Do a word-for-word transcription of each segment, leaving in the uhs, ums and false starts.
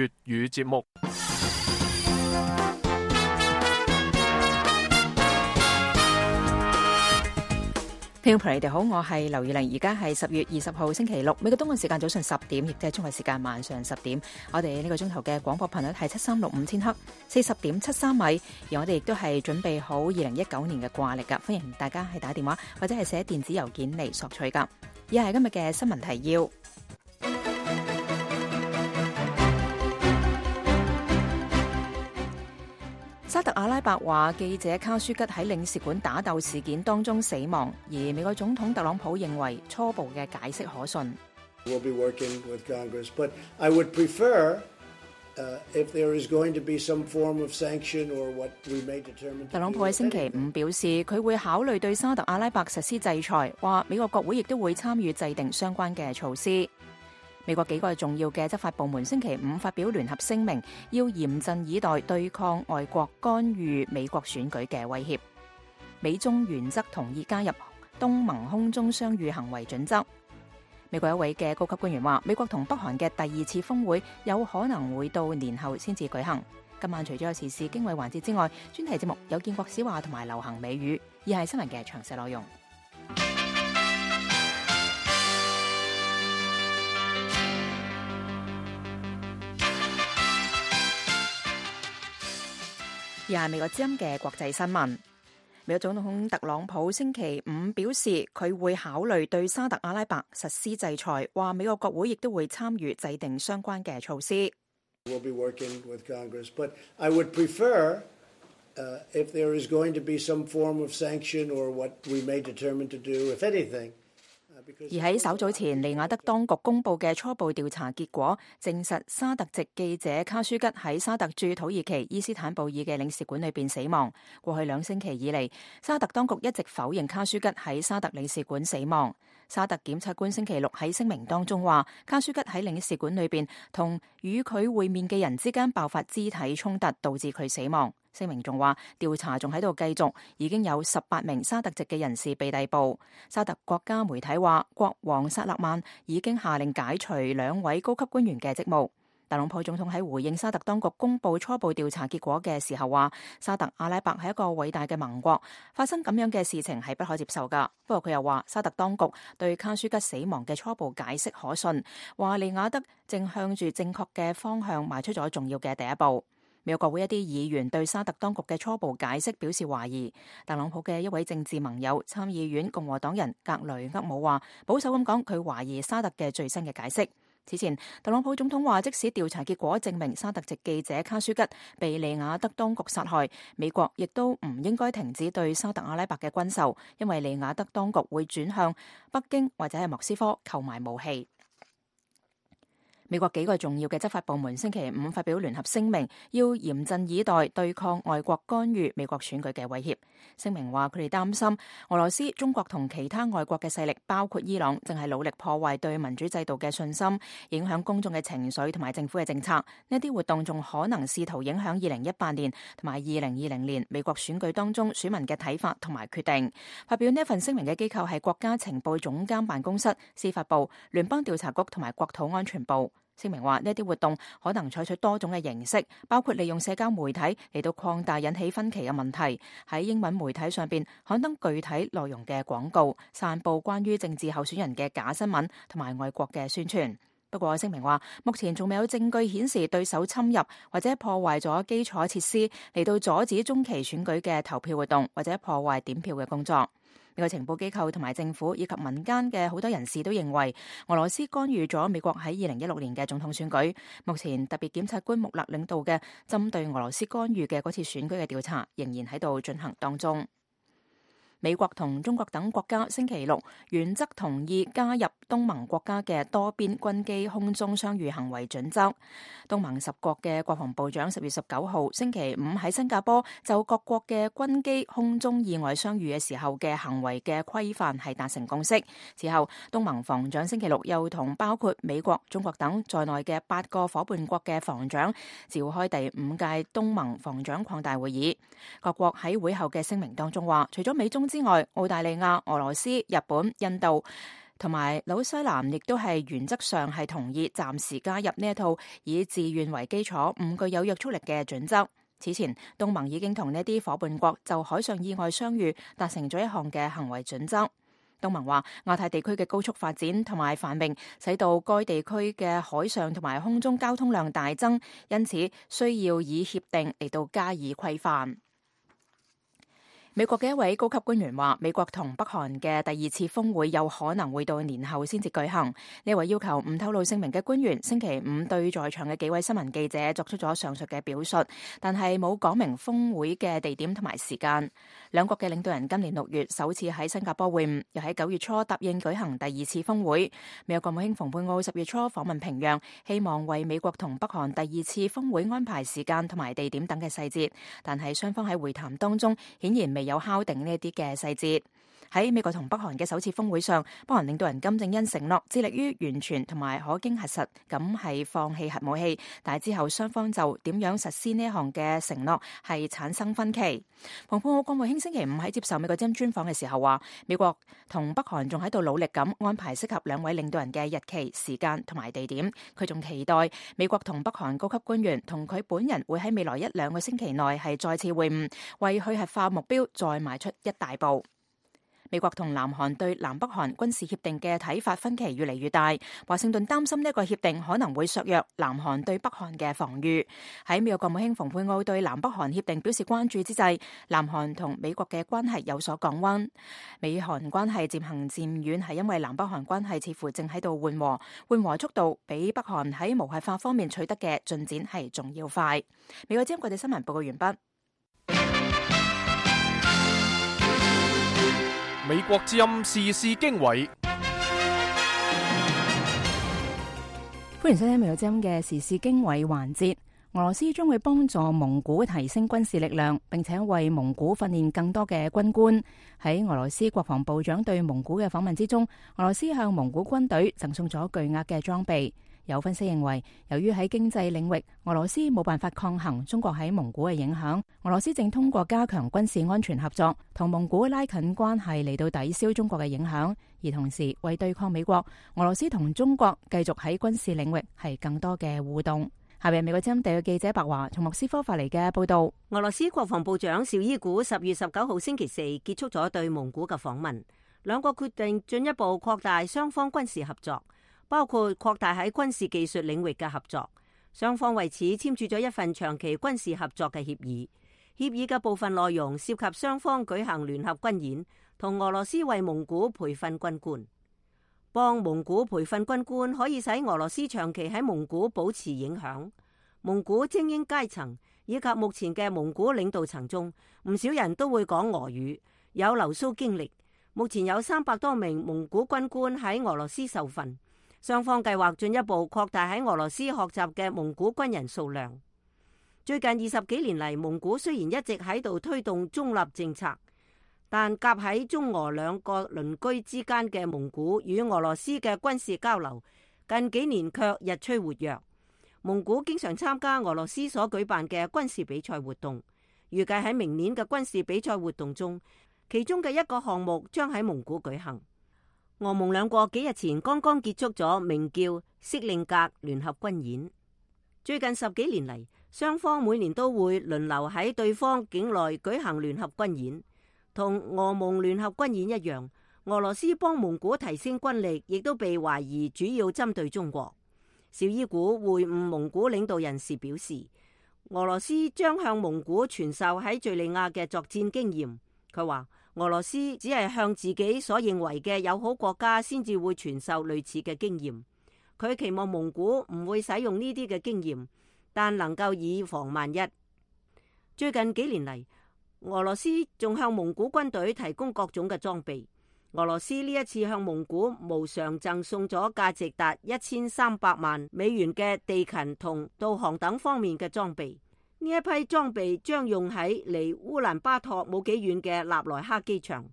粵語節目。聽眾朋友，你哋好，我係劉宇玲，而家係十月二十號星期六，美國東岸時間早上十點，亦即係中國時間晚上十點。我哋呢個鐘頭嘅廣播頻率係七三六五千赫，四十點七三米。而我哋亦都係準備好二零一九年嘅掛曆噶，歡迎大家係打電話或者係寫電子郵件嚟索取噶。以下係今日嘅新聞提要。沙特阿拉伯話記者卡舒吉喺領事館打鬥事件當中死亡，而美國總統特朗普認為初步嘅解釋可信。We'll be working with Congress, but I would prefer, uh, if there is going to be some form of sanction or what we may determine. 特朗普喺星期五表示，佢會考慮對沙特阿拉伯實施制裁，話美國國會亦都會參與制定相關嘅措施。美國幾個重要嘅執法部門星期五發表聯合聲明，要嚴陣以待對抗外國干預美國選舉嘅威脅。美中原則同意加入東盟空中相遇行為準則。美國一位嘅高級官員話，美國同北韓嘅第二次峰會有可能會到年後先至舉行。今晚除咗有時事經緯環節之外，專題節目有建國史話同埋流行美語，以下係新聞嘅詳細內容。而係美國之音嘅國際新聞。美國總統特朗普星期五表示，佢會考慮對沙特阿拉伯實施制裁，話美國國會亦都會參與制定相關嘅措施。We'll be working with Congress, but I would prefer, uh, if there is going to be some form of sanction or what we may determine to do, if anything.而喺稍早前，利雅得當局公布嘅初步調查結果，證實沙特籍記者卡舒吉喺沙特駐土耳其伊斯坦布爾嘅領事館裏邊死亡。過去兩星期以嚟，沙特當局一直否認卡舒吉喺沙特領事館死亡。沙特檢察官星期六喺聲明當中話，卡舒吉喺領事館裏邊同與佢會面嘅人之間爆發肢體衝突，導致佢死亡。聲明仲話，調查仲喺度繼續，已經有十八名沙特籍嘅人士被逮捕。沙特國家媒體話，國王薩勒曼已經下令解除兩位高級官員嘅職務。特朗普總統喺回應沙特當局公布初步調查結果嘅時候話，沙特阿拉伯係一個偉大嘅盟國，發生咁樣嘅事情係不可接受噶。不過佢又話，沙特當局對卡舒吉死亡嘅初步解釋可信，話利雅得正向住正確嘅方向邁出咗重要嘅第一步。美國國會一啲議員對沙特當局嘅初步解釋表示懷疑。特朗普嘅一位政治盟友參議院共和黨人格雷厄姆話，保守咁講，佢懷疑沙特嘅最新嘅解釋。此前，特朗普總統話，即使調查結果證明沙特籍記者卡舒吉被利雅得當局殺害，美國亦都唔應該停止對沙特阿拉伯嘅軍售，因為利雅得當局會轉向北京或者係莫斯科購買武器。美國幾個重要嘅執法部門星期五發表聯合聲明，要嚴陣以待對抗外國干預美國選舉嘅威脅。聲明話，佢哋擔心俄羅斯、中國同其他外國嘅勢力，包括伊朗，正係努力破壞對民主制度嘅信心，影響公眾嘅情緒同埋政府嘅政策。呢啲活動仲可能試圖影響二零一八年同埋二零二零年美國選舉當中選民嘅睇法同埋決定。發表呢一份聲明嘅機構係國家情報總監辦公室、司法部、聯邦調查局同埋國土安全部。聲明話，呢啲活動可能採取多種嘅形式，包括利用社交媒體嚟到擴大引起分歧嘅問題，喺英文媒體上邊刊登具體內容嘅廣告，散佈關於政治候選人嘅假新聞同埋外國嘅宣傳。不過聲明話，目前仲未有證據顯示對手侵入或者破壞咗基礎設施嚟到阻止中期選舉嘅投票活動，或者破壞點票嘅工作。美國情報機構同埋政府以及民間嘅好多人士都認為，俄羅斯干預咗美國喺二零一六年嘅總統選舉。目前特別檢察官穆勒領導嘅針對俄羅斯干預嘅嗰次選舉嘅調查仍然喺度進行當中。美國同中國等國家星期六原則同意加入東盟國家嘅多邊軍機空中相遇行為準則。東盟十國嘅國防部長十月十九號星期五喺新加坡就各國嘅軍機空中意外相遇嘅時候嘅行為嘅規範係達成共識。此後，東盟防長星期六又同包括美國、中國等在內嘅八個夥伴國嘅防長召開第五屆東盟防長擴大會議。各國喺會後嘅聲明當中話，除咗美中之外，澳大利亞、俄羅斯、日本、印度同埋紐西蘭亦都係原則上係同意暫時加入呢一套以自願為基礎、唔具有約束力嘅準則。此前，東盟已經同呢啲夥伴國就海上意外相遇達成咗一項嘅行為準則。東盟話，亞太地區嘅高速發展同埋繁榮，使到該地區嘅海上同埋空中交通量大增，因此需要以協定嚟到加以規範。美國嘅一位高級官員話，美國同北韓嘅第二次峰會有可能會到年後先至舉行。呢位要求唔透露姓名嘅官員星期五對在場嘅幾位新聞記者作出咗上述嘅表述，但係冇講明峰會嘅地點同埋時間。兩國嘅領導人今年六月首次喺新加坡會晤，又喺九月初答應舉行第二次峰會。美國國務卿蓬佩奧十月初訪問平壤，希望為美國同北韓第二次峰會安排時間同埋地點等嘅細節，但係雙方喺會談當中顯然未有敲定呢啲嘅細節。喺美國同北韓嘅首次峰會上，北韓領導人金正恩承諾致力於完全同埋可經核實咁係放棄核武器，但係之後雙方就點樣實施呢一項嘅承諾係產生分歧。蓬佩奧國務卿星期五喺接受美國之音專訪嘅時候話，美國同北韓仲喺度努力咁安排適合兩位領導人嘅日期、時間同埋地點。佢仲期待美國同北韓高級官員同佢本人會喺未來一兩個星期內係再次會晤，為去核化目標再邁出一大步。美國同南韓對南北韓軍事協定嘅睇法分歧越嚟越大，華盛頓擔心呢一個協定可能會削弱南韓對北韓嘅防禦。喺美國國務卿蓬佩奧對南北韓協定表示關注之際，南韓同美國嘅關係有所降溫。美韓關係漸行漸遠係因為南北韓關係似乎正喺度緩和，緩和速度比北韓喺無核化方面取得嘅進展係仲要快。美國之音國際新聞報告完畢。美國之音時事經緯，歡迎收聽美國之音嘅時事經緯環節。俄羅斯將會幫助蒙古提升軍事力量，並且為蒙古訓練更多嘅軍官。喺俄羅斯國防部長對蒙古嘅訪問之中，俄羅斯向蒙古軍隊贈送咗巨額嘅裝備。有分析認為，由於喺經濟領域，俄羅斯冇辦法抗衡中國喺蒙古嘅影響，俄羅斯正通過加強軍事安全合作，同蒙古拉近關係嚟到抵消中國嘅影響，而同時為對抗美國，俄羅斯同中國繼續喺軍事領域係更多嘅互動。下面美國之音特約記者白華從莫斯科發嚟嘅報道。俄羅斯國防部長紹伊古十月十九號星期四結束咗對蒙古嘅訪問，兩國決定進一步擴大雙方軍事合作，包括擴大喺軍事技術領域嘅合作。雙方為此簽署咗一份長期軍事合作嘅協議。協議嘅部分內容涉及雙方舉行聯合軍演，同俄羅斯為蒙古培訓軍官。幫蒙古培訓軍官可以使俄羅斯長期喺蒙古保持影響。蒙古精英階層以及目前嘅蒙古領導層中，唔少人都會講俄語，有留蘇經歷。目前有三百多名蒙古軍官喺俄羅斯受訓。雙方計劃進一步擴大喺俄羅斯學習嘅蒙古軍人數量。最近二十幾年嚟，蒙古雖然一直喺度推動中立政策，但夾喺中俄兩個鄰居之間嘅蒙古與俄羅斯嘅軍事交流，近幾年卻日趨活躍。蒙古經常參加俄羅斯所舉辦嘅軍事比賽活動，預計喺明年嘅軍事比賽活動中，其中嘅一個項目將喺蒙古舉行。俄蒙兩國幾日前剛剛結束咗名叫色令格聯合軍演。最近十幾年嚟，雙方每年都會輪流喺對方境內舉行聯合軍演。同俄蒙聯合軍演一樣，俄羅斯幫蒙古提升軍力，亦都被懷疑主要針對中國。紹伊古會晤蒙古領導人時表示，俄羅斯將向蒙古傳授喺敘利亞嘅作戰經驗。佢話，俄羅斯只係向自己所認為嘅友好國家先至會傳授類似嘅經驗。佢期望蒙古唔會使用呢啲嘅經驗，但能夠以防萬一。最近幾年嚟，俄羅斯仲向蒙古軍隊提供各種嘅裝備。俄羅斯呢一次向蒙古無償贈送咗價值達一千三百萬美元嘅地勤同導航等方面嘅裝備。呢一批裝備將用喺離烏蘭巴托冇幾遠嘅納萊克機場。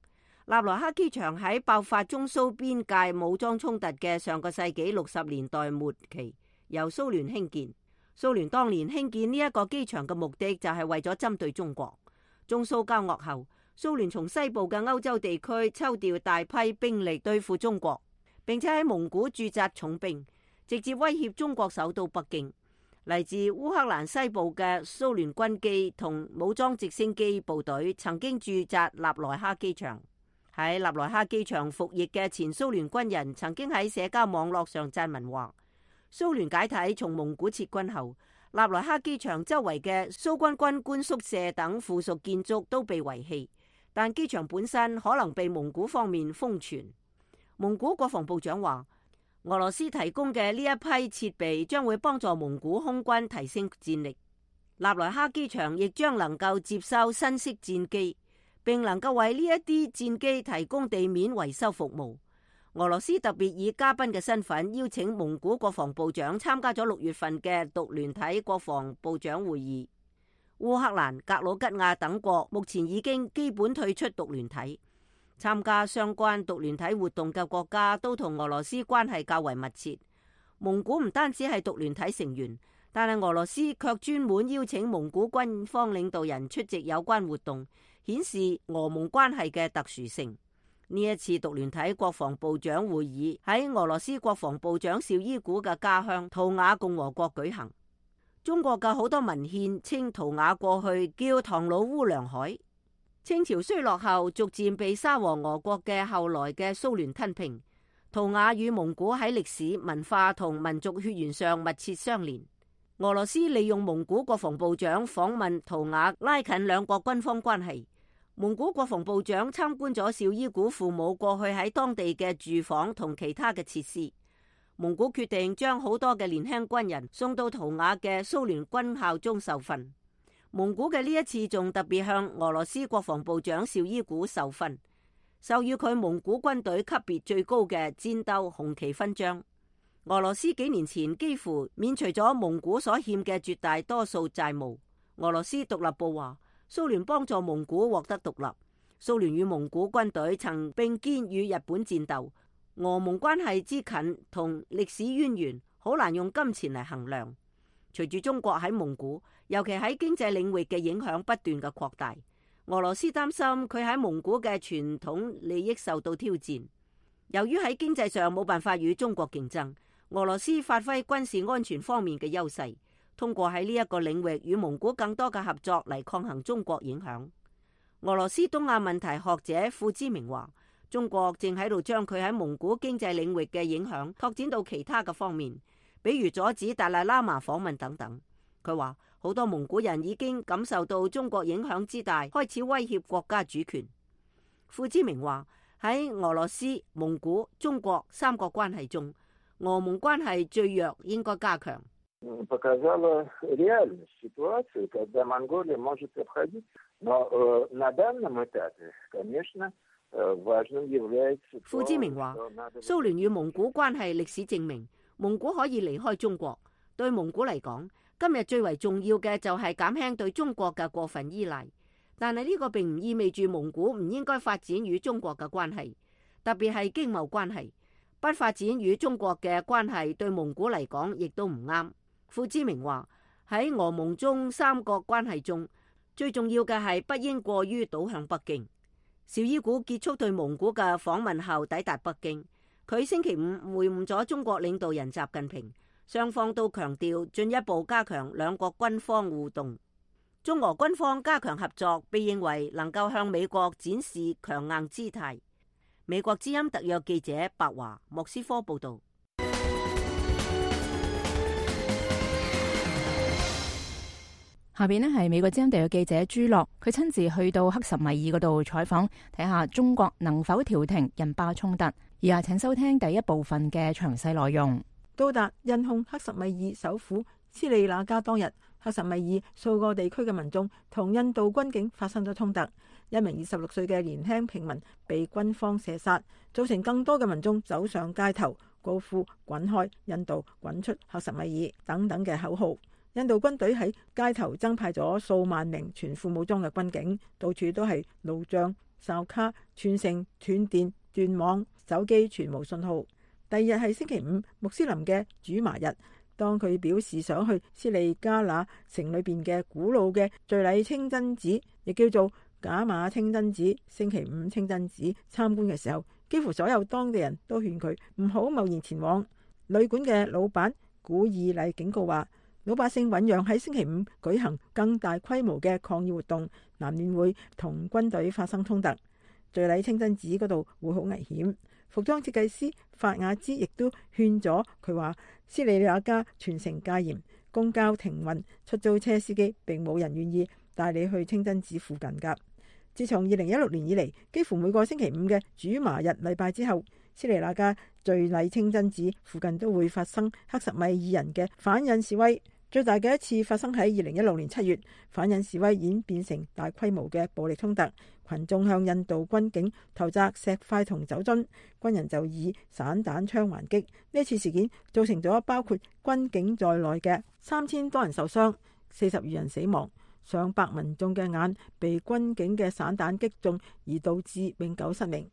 納萊克機場喺爆發中蘇邊界武裝衝突嘅上個世紀六十年代末期由蘇聯興建。蘇聯當年興建呢一個機場嘅目的就係為咗針對中國。中蘇交惡後，蘇聯從西部嘅歐洲地區抽調大批兵力對付中國，並且喺蒙古駐紮重兵，直接威脅中國首都北京。嚟自烏克蘭西部嘅蘇聯軍機同武裝直升機部隊曾經駐紮納萊哈機場。喺納萊哈機場服役嘅前蘇聯軍人曾經喺社交網絡上撰文話，蘇聯解體從蒙古撤軍後，納萊哈機場周圍嘅蘇軍軍官宿舍等附屬建築都被遺棄，但機場本身可能被蒙古方面封存。蒙古國防部長話，俄羅斯提供嘅呢一批設備將會幫助蒙古空軍提升戰力。納萊哈機場亦將能夠接收新式戰機，並能夠為呢一啲戰機提供地面維修服務。俄羅斯特別以嘉賓嘅身份邀請蒙古國防部長參加咗六月份嘅獨聯體國防部長會議。烏克蘭、格魯吉亞等國目前已經基本退出獨聯體。參加相關獨聯體活動嘅國家都同俄羅斯關係較為密切。蒙古唔單止係獨聯體成員，但係俄羅斯卻專門邀請蒙古軍方領導人出席有關活動，顯示俄蒙關係嘅特殊性。呢一次獨聯體國防部長會議喺俄羅斯國防部長紹伊古嘅家鄉圖瓦共和國舉行。中國嘅好多文獻稱圖瓦過去叫唐努烏梁海。清朝衰落後，逐漸被沙俄俄國嘅後來嘅蘇聯吞併。圖瓦與蒙古喺歷史、文化同民族血緣上密切相連。俄羅斯利用蒙古國防部長訪問圖瓦，拉近兩國軍方關係。蒙古國防部長參觀咗紹伊古父母過去喺當地嘅住房同其他嘅設施。蒙古決定將好多嘅年輕軍人送到圖瓦嘅蘇聯軍校中受訓。蒙古嘅呢一次仲特別向俄羅斯國防部長紹伊古授勳，授予佢蒙古軍隊級別最高嘅戰鬥紅旗勳章。俄羅斯幾年前幾乎免除咗蒙古所欠嘅絕大多數債務。俄羅斯獨立報話，蘇聯幫助蒙古獲得獨立。蘇聯與蒙古軍隊曾並肩與日本戰鬥。俄蒙關係之近同歷史淵源，好難用金錢嚟衡量。隨住中國喺蒙古，尤其喺經濟領域嘅影響不斷嘅擴大，俄羅斯擔心佢喺蒙古嘅傳統利益受到挑戰。由於喺經濟上冇辦法與中國競爭，俄羅斯發揮軍事安全方面嘅優勢，通過喺呢一個領域與蒙古更多嘅合作嚟抗衡中國影響。俄羅斯東亞問題學者傅之明話，中國正喺度將佢喺蒙古經濟領域嘅影響拓展到其他嘅方面，比如阻止達賴喇嘛訪問等等。佢話好多蒙古人已經感受到中國影響之大，開始威脅國家主權。傅之明話喺俄羅斯、蒙古、中國三國關係中，俄蒙關係最弱，應該加強。傅之明話，蘇聯與蒙古關係歷史證明，蒙古可以離開中國。對蒙古嚟講，今日最為重要嘅就係減輕對中國嘅過分依賴。但係呢個並唔意味住蒙古唔應該發展與中國嘅關係，特別係經貿關係。不發展與中國嘅關係對蒙古嚟講亦都唔啱。傅之明話喺俄蒙中三國關係中，最重要嘅係不應過於倒向北京。紹伊古結束對蒙古嘅訪問後抵達北京，佢星期五會晤咗中國領導人習近平，雙方都強調進一步加強兩國軍方互動。中俄軍方加強合作，被認為能夠向美國展示強硬姿態。美國之音特約記者白華莫斯科報道。下邊呢係美國之音特約記者朱樂，佢親自去到克什米爾嗰度採訪，睇下中國能否調停印巴衝突。而家請收聽第一部分嘅詳細內容。到達印控克什米爾首府斯里那加當日，克什米爾數個地區嘅民眾同印度軍警發生咗衝突，一名二十六歲嘅年輕平民被軍方射殺，造成更多嘅民眾走上街頭，高呼滾開印度、滾出克什米爾等等嘅口號。印度軍隊喺街頭增派咗數萬名全副武裝嘅軍警，到處都係路障、哨卡、全城斷電、斷網、手機全無信號。第二日係星期五，穆斯林嘅主麻日。當佢表示想去斯里加那城裏邊嘅古老嘅敘禮清真寺，亦叫做賈馬清真寺、星期五清真寺參觀嘅時候，幾乎所有當地人都勸佢唔好貿然前往。旅館嘅老闆古爾麗警告話，老百姓醞釀喺星期五舉行更大規模嘅抗議活動，難免會同軍隊發生衝突。敘禮清真寺嗰度會好危險。服裝設計師法雅茲亦都勸咗佢話，斯里蘭卡全城戒嚴，公交停運，出租車司機並冇人願意帶你去清真寺附近㗎。自從二零一六年以嚟，幾乎每個星期五嘅主麻日禮拜之後，斯里蘭卡敘禮清真寺附近都會發生克什米爾人嘅反印示威。最大嘅一次發生喺二零一六年七月，反印示威演變成大規模嘅暴力衝突，群眾向印度軍警投擲石塊同酒樽，軍人就以散彈槍還擊。呢次事件造成咗包括軍警在內嘅三千多人受傷，四十餘人死亡，上百民眾嘅眼被軍警嘅散彈擊中，而導致永久失明。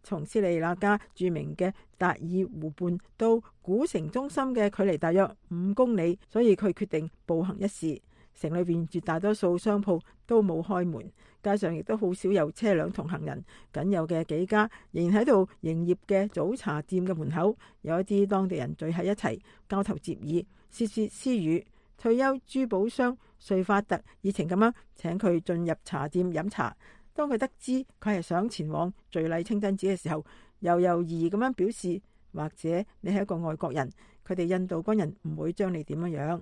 從斯里蘭卡著名嘅達爾湖畔到古城中心嘅距離大約五公里，所以佢決定步行一試。城裏邊絕大多數商鋪都冇開門，街上亦都好少有車輛同行人，僅有嘅幾家仍然喺度營業嘅早茶店嘅門口，有一啲當地人聚喺一齊交頭接耳，竊竊私語。退休珠寶商瑞法特熱情咁樣請佢進入茶店飲茶。當佢得知佢係想前往敘禮清真寺嘅時候，又猶豫咁樣表示，或者你係一個外國人，佢哋印度軍人唔會將你點樣樣。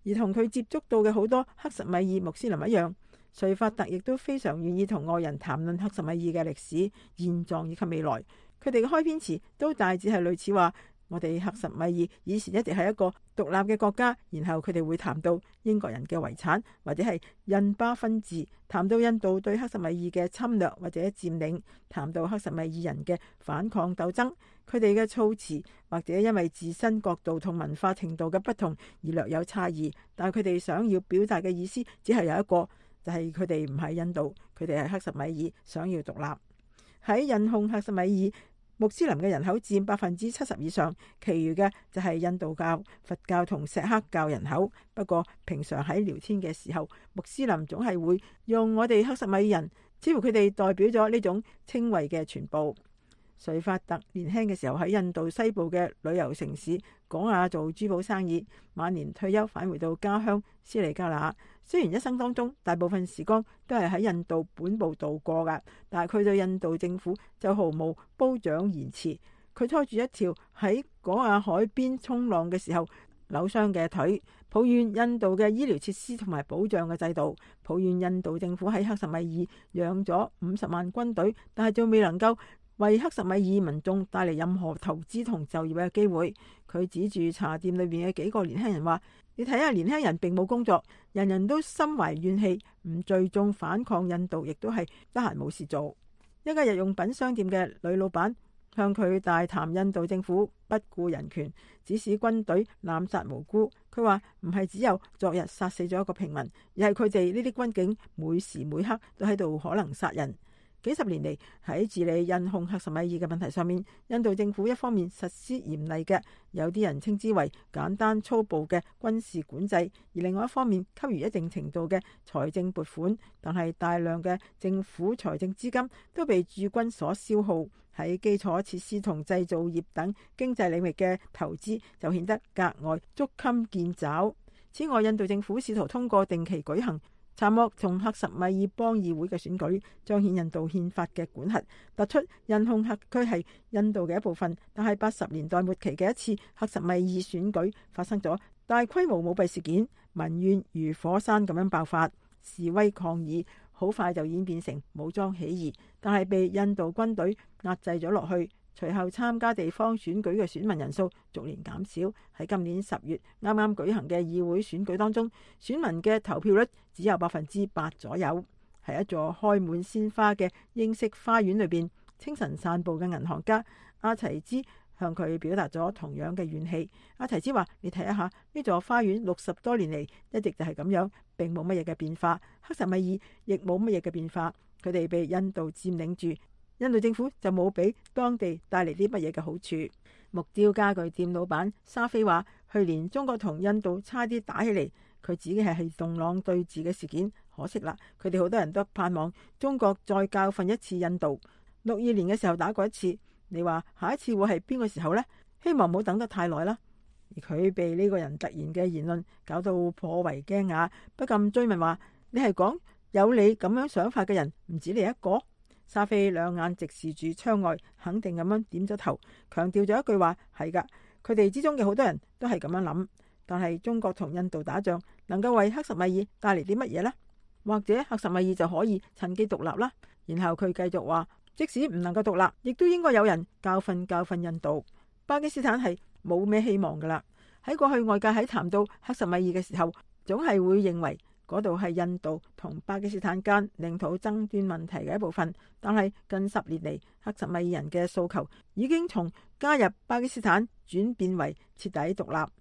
而同佢接觸到嘅好多克什米爾穆斯林一樣，瑞法特亦都非常願意同外人談論克什米爾嘅歷史、現狀以及未來。佢哋嘅開篇詞都大致係類似話，我哋克什米爾以前一直係一個獨立嘅國家，然後佢哋會談到英國人嘅遺產，或者係印巴分治，談到印度對克什米爾嘅侵略或者佔領，談到克什米爾人嘅反抗鬥爭。佢哋嘅措辭或者因為自身角度同文化程度嘅不同而略有差異，但係佢哋想要表達嘅意思只係有一個，就係佢哋唔係印度，佢哋係克什米爾，想要獨立。喺印控克什米爾穆斯林嘅人口佔百分之七十以上，其餘嘅就係印度教、佛教同錫克教人口。不過平常喺聊天嘅時候，穆斯林總係會用我哋克什米爾人，似乎佢哋代表咗呢種稱謂嘅全部。瑞法特年輕嘅時候喺印度西部嘅旅遊城市果亞做珠寶生意，晚年退休返回到家鄉斯里加那。雖然一生當中大部分時光都係喺印度本部度過㗎，但係佢對印度政府就毫無褒獎言辭。佢拖住一條喺果亞海邊衝浪嘅時候扭傷嘅腿，抱怨印度嘅醫療設施同埋保障嘅制度，抱怨印度政府喺克什米爾養咗五十萬軍隊，但係仲未能夠為克什米爾民眾帶嚟任何投資同就業嘅機會。佢指住茶店裏面嘅幾個年輕人話，你睇下，年輕人並冇工作，人人都心懷怨氣，唔聚眾反抗印度，亦都係得閒冇事做。一家日用品商店嘅女老闆向佢大談印度政府不顧人權，指使軍隊濫殺無辜。佢話唔係只有昨日殺死咗一個平民，而係佢哋呢啲軍警每時每刻都喺度可能殺人。幾十年嚟喺治理印控克什米爾嘅問題上面，印度政府一方面實施嚴厲嘅，有啲人稱之為簡單粗暴嘅軍事管制，而另外一方面給予一定程度嘅財政撥款，但係大量嘅政府財政資金都被駐軍所消耗，喺基礎設施同製造業等經濟領域嘅投資就顯得格外捉襟見肘。此外，印度政府試圖通過定期舉行查莫同克什米爾邦議會嘅選舉，彰顯印度憲法嘅管轄，突出印控克區係印度嘅一部分。但係八十年代末期嘅一次克什米爾選舉發生咗大規模舞弊事件，民怨如火山咁樣爆發，示威抗議好快就演變成武裝起義，但係被印度軍隊壓制咗落去。隨後參加地方選舉嘅選民人數逐年減少。喺今年十月啱啱舉行嘅議會選舉當中，選民嘅投票率只有百分之八左右。喺一座開滿鮮花嘅英式花園裏邊，清晨散步嘅銀行家阿齊茲向佢表達咗同樣嘅怨氣。阿齊茲話：你睇一下呢座花園六十多年嚟一直就係咁樣，並冇乜嘢嘅變化。克什米爾亦冇乜嘢嘅變化，佢哋被印度佔領住。印度政府就冇俾當地帶嚟啲乜嘢嘅好處。木雕家具店老闆沙菲話：去年中國同印度差啲打起嚟，佢指嘅係洞朗對峙嘅事件。可惜啦，佢哋好多人都盼望中國再教訓一次印度。六二年嘅時候打過一次，你話下一次會係邊個時候呢？希望唔好等得太耐啦。而佢被呢個人突然嘅言論搞到頗為驚訝，不禁追問話：你係講有你咁樣想法嘅人唔止你一個？沙菲兩眼直視住窗外，肯定咁樣點咗頭，強調咗一句話：係噶，佢哋之中嘅好多人都係咁樣諗。但係中國同印度打仗，能夠為克什米爾帶嚟啲乜嘢呢？或者克什米爾就可以趁機獨立啦？然後佢繼續話：即使唔能夠獨立，亦都應該有人教訓教訓印度。巴基斯坦係冇咩希望噶啦。喺過去外界喺談到克什米爾嘅時候，總係會認為嗰度係印度同巴基斯坦間領土爭端問題嘅一部分。但係近十年嚟，克什米爾人嘅訴求已經從加入巴基斯坦轉變為徹底獨立。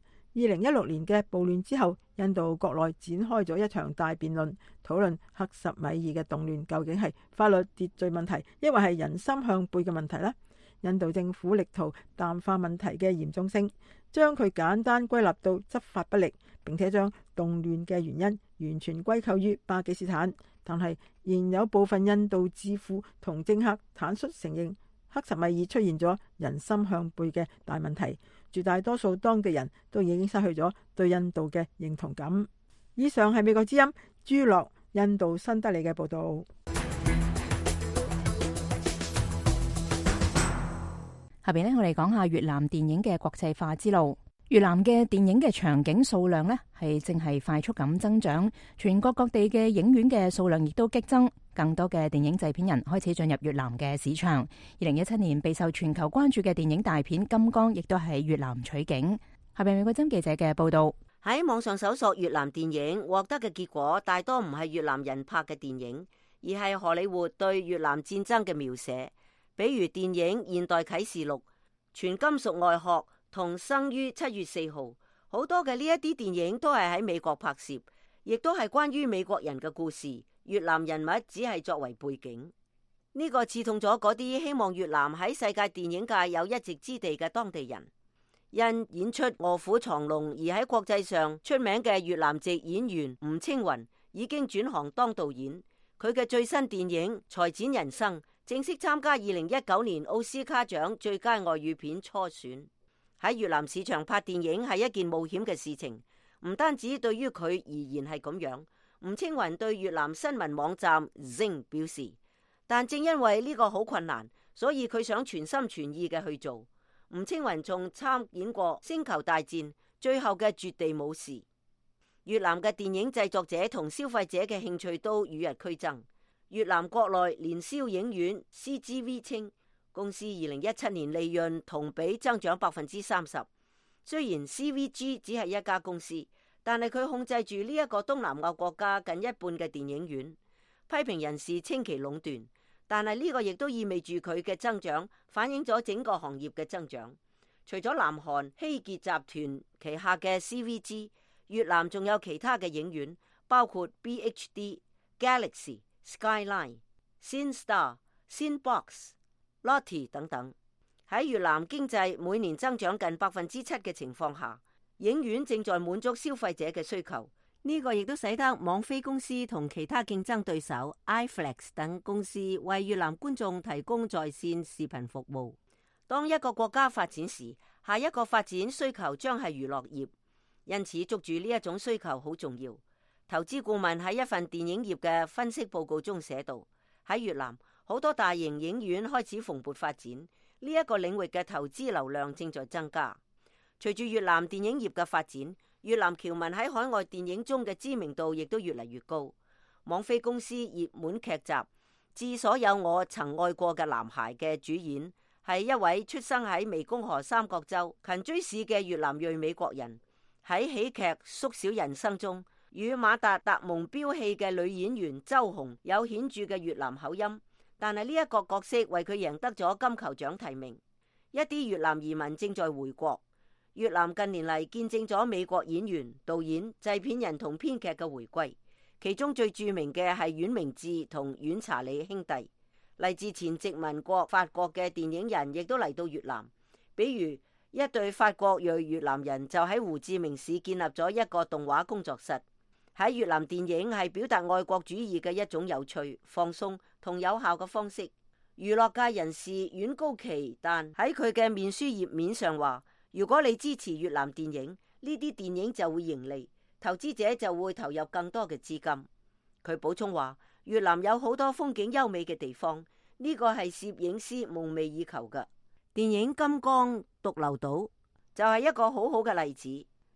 二零一六年嘅暴亂之後，印度國內展開咗一場大辯論，討論克什米爾嘅動亂究竟係法律秩序問題，抑或係人心向背嘅問題呢？印度政府力圖淡化問題嘅嚴重性，將佢簡單歸納到執法不力，並且將動亂嘅原因完全歸咎於巴基斯坦。但係仍有部分印度智庫同政客坦率承認，克什米爾出現咗人心向背嘅大問題，絕大多數當地人都已經失去咗對印度嘅認同感。以上係美國之音朱樂印度新德里嘅報道。下邊呢，我哋講下越南電影嘅國際化之路。越南嘅電影嘅場景數量呢，係正係快速咁增長，全國各地嘅影院嘅數量亦都激增，更多嘅電影製片人開始進入越南嘅市場。二零一七年備受全球關注嘅電影大片《金剛》亦都喺越南取景。下邊美國真記者嘅報道。喺網上搜索越南電影，獲得嘅結果大多唔係越南人拍嘅電影，而係荷里活對越南戰爭嘅描寫。比如電影《現代啟示錄》、《全金屬外殼》同《生於七月四號》，好多嘅呢一啲電影都係喺美國拍攝，亦都係關於美國人嘅故事，越南人物只係作為背景。呢個刺痛咗嗰啲希望越南喺世界電影界有一席之地嘅當地人。因演出《臥虎藏龍》而喺國際上出名嘅越南籍演員吳青雲已經轉行當導演，佢嘅最新電影《裁剪人生》正式參加二零一九年奧斯卡獎最佳外語片初選。喺越南市場拍電影係一件冒險嘅事情，唔單止對於佢而言係咁樣。吳青雲對越南新聞網站 Zing 表示，但正因為呢個好困難，所以佢想全心全意嘅去做。吳青雲仲參演過《星球大戰》最後嘅絕地武士。越南嘅電影製作者同消費者嘅興趣都與日俱增。越南國內年銷影院 C G V 稱，公司二零一七年利潤同比增長百分之三十。雖然 C V G 只係一家公司，但係佢控制住呢一個東南亞國家近一半嘅電影院。批評人士稱其壟斷，但係呢個亦都意味住佢嘅增長反映咗整個行業嘅增長。除咗南韓希傑集團旗下嘅 C V G， 越南仲有其他嘅影院，包括 B H D、Galaxy、Skyline、Cinestar、Cinebox、Lotte 等等。喺越南經濟每年增長近百分之七嘅情況下，影院正在滿足消費者嘅需求。呢個亦都使得網飛公司同其他競爭對手 iFlix 等公司為越南觀眾提供在線視頻服務。當一個國家發展時，下一個發展需求將係娛樂業，因此捉住呢一種需求好重要。投資顧問喺一份電影業嘅分析報告中寫道，喺越南好多大型影院開始蓬勃發展，呢一個領域嘅投資流量正在增加。隨住越南電影業嘅發展，越南僑民喺海外電影中嘅知名度亦都越嚟越高。網飛公司熱門劇集《致所有我曾愛過嘅男孩》嘅主演係一位出生喺湄公河三角洲勤追市嘅越南裔美國人。喺喜劇《縮小人生》中，與馬達達蒙飆戲嘅女演員周紅有顯著嘅越南口音，但係呢一個角色為佢贏得咗金球獎提名。一啲越南移民正在回國。越南近年嚟見證咗美國演員、導演、製片人同編劇嘅回歸，其中最著名嘅係阮明智同阮查理兄弟。嚟自前殖民國法國嘅電影人亦都嚟到越南，比如一對法國裔越南人就喺胡志明市建立咗一個動畫工作室。喺越南電影係表達愛國主義嘅一種有趣、放鬆同有效嘅方式。娛樂界人士阮高奇但喺佢嘅面書頁面上話，如果你支持越南電影，呢啲電影就會盈利，投資者就會投入更多嘅資金。佢補充話，越南有好多風景優美嘅地方，呢個係攝影師夢寐以求嘅。電影《金剛獨流島》就係一個好好嘅例子。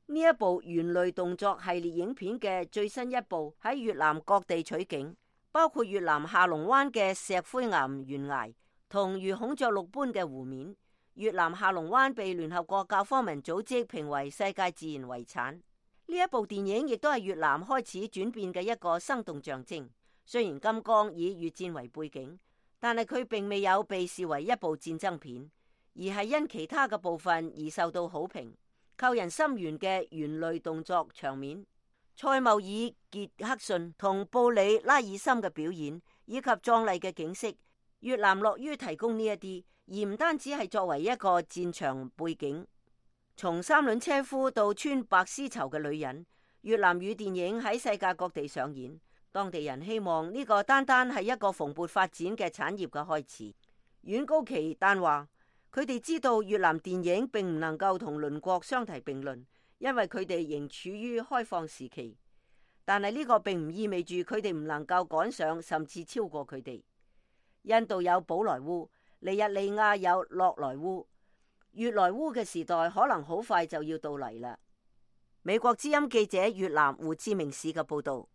呢一部猿類動作系列影片嘅最新一部喺越南各地取景，包括越南下龍灣嘅石灰岩懸崖同如孔雀綠般嘅湖面。越南下龍灣被聯合國教科文組織評為世界自然遺產。呢一部電影亦都係越南開始轉變嘅一個生動象徵。雖然金剛以越戰為背景，但係佢並未有被視為一部戰爭片，而係因其他嘅部分而受到好評。扣人心弦嘅猿類動作場面、塞繆爾傑克遜同布里拉爾森嘅表演，以及壯麗嘅景色，越南樂於提供呢一啲，而唔單止係作為一個戰場背景。從三輪車夫到穿白絲綢嘅女人，越南語電影喺世界各地上演。當地人希望呢個單單係一個蓬勃發展嘅產業嘅開始。阮高奇丹話，佢哋知道越南電影並唔能夠同鄰國相提並論，因為佢哋仍處於開放時期。但係呢個並唔意味住佢哋唔能夠趕上甚至超過佢哋。印度有寶萊塢，尼日利亞有洛萊塢，越萊塢嘅時代可能好快就要到嚟啦。美國之音記者越南胡志明市嘅報道。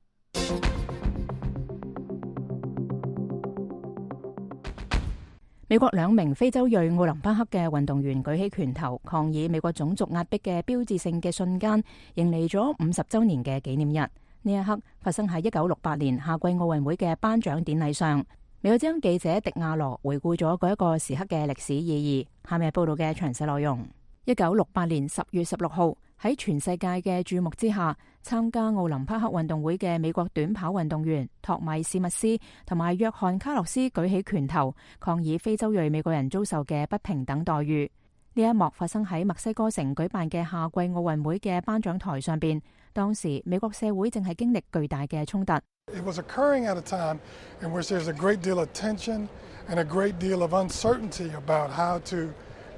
美國兩名非洲裔奧林匹克嘅運動員舉起拳頭抗議美國種族壓迫嘅標誌性嘅瞬間，迎嚟咗五十週年嘅紀念日。呢一刻發生喺一九六八年夏季奧運會嘅頒獎典禮上。美國之音記者迪亞羅回顧咗嗰一個時刻嘅歷史意義。下面係報道嘅詳細內容。一九六八年十月十六號，喺全世界嘅注目之下，參加奧林匹克運動會嘅美國短跑運動員托米史密斯同埋約翰卡洛斯舉起拳頭，抗議非洲裔美國人遭受嘅不平等待遇。呢一幕發生喺墨西哥城舉辦嘅夏季奧運會嘅頒獎台上邊。當時美國社會正係經歷巨大嘅衝突。It was occurring at a time in which there's a great deal of tension and a great deal of uncertainty about how to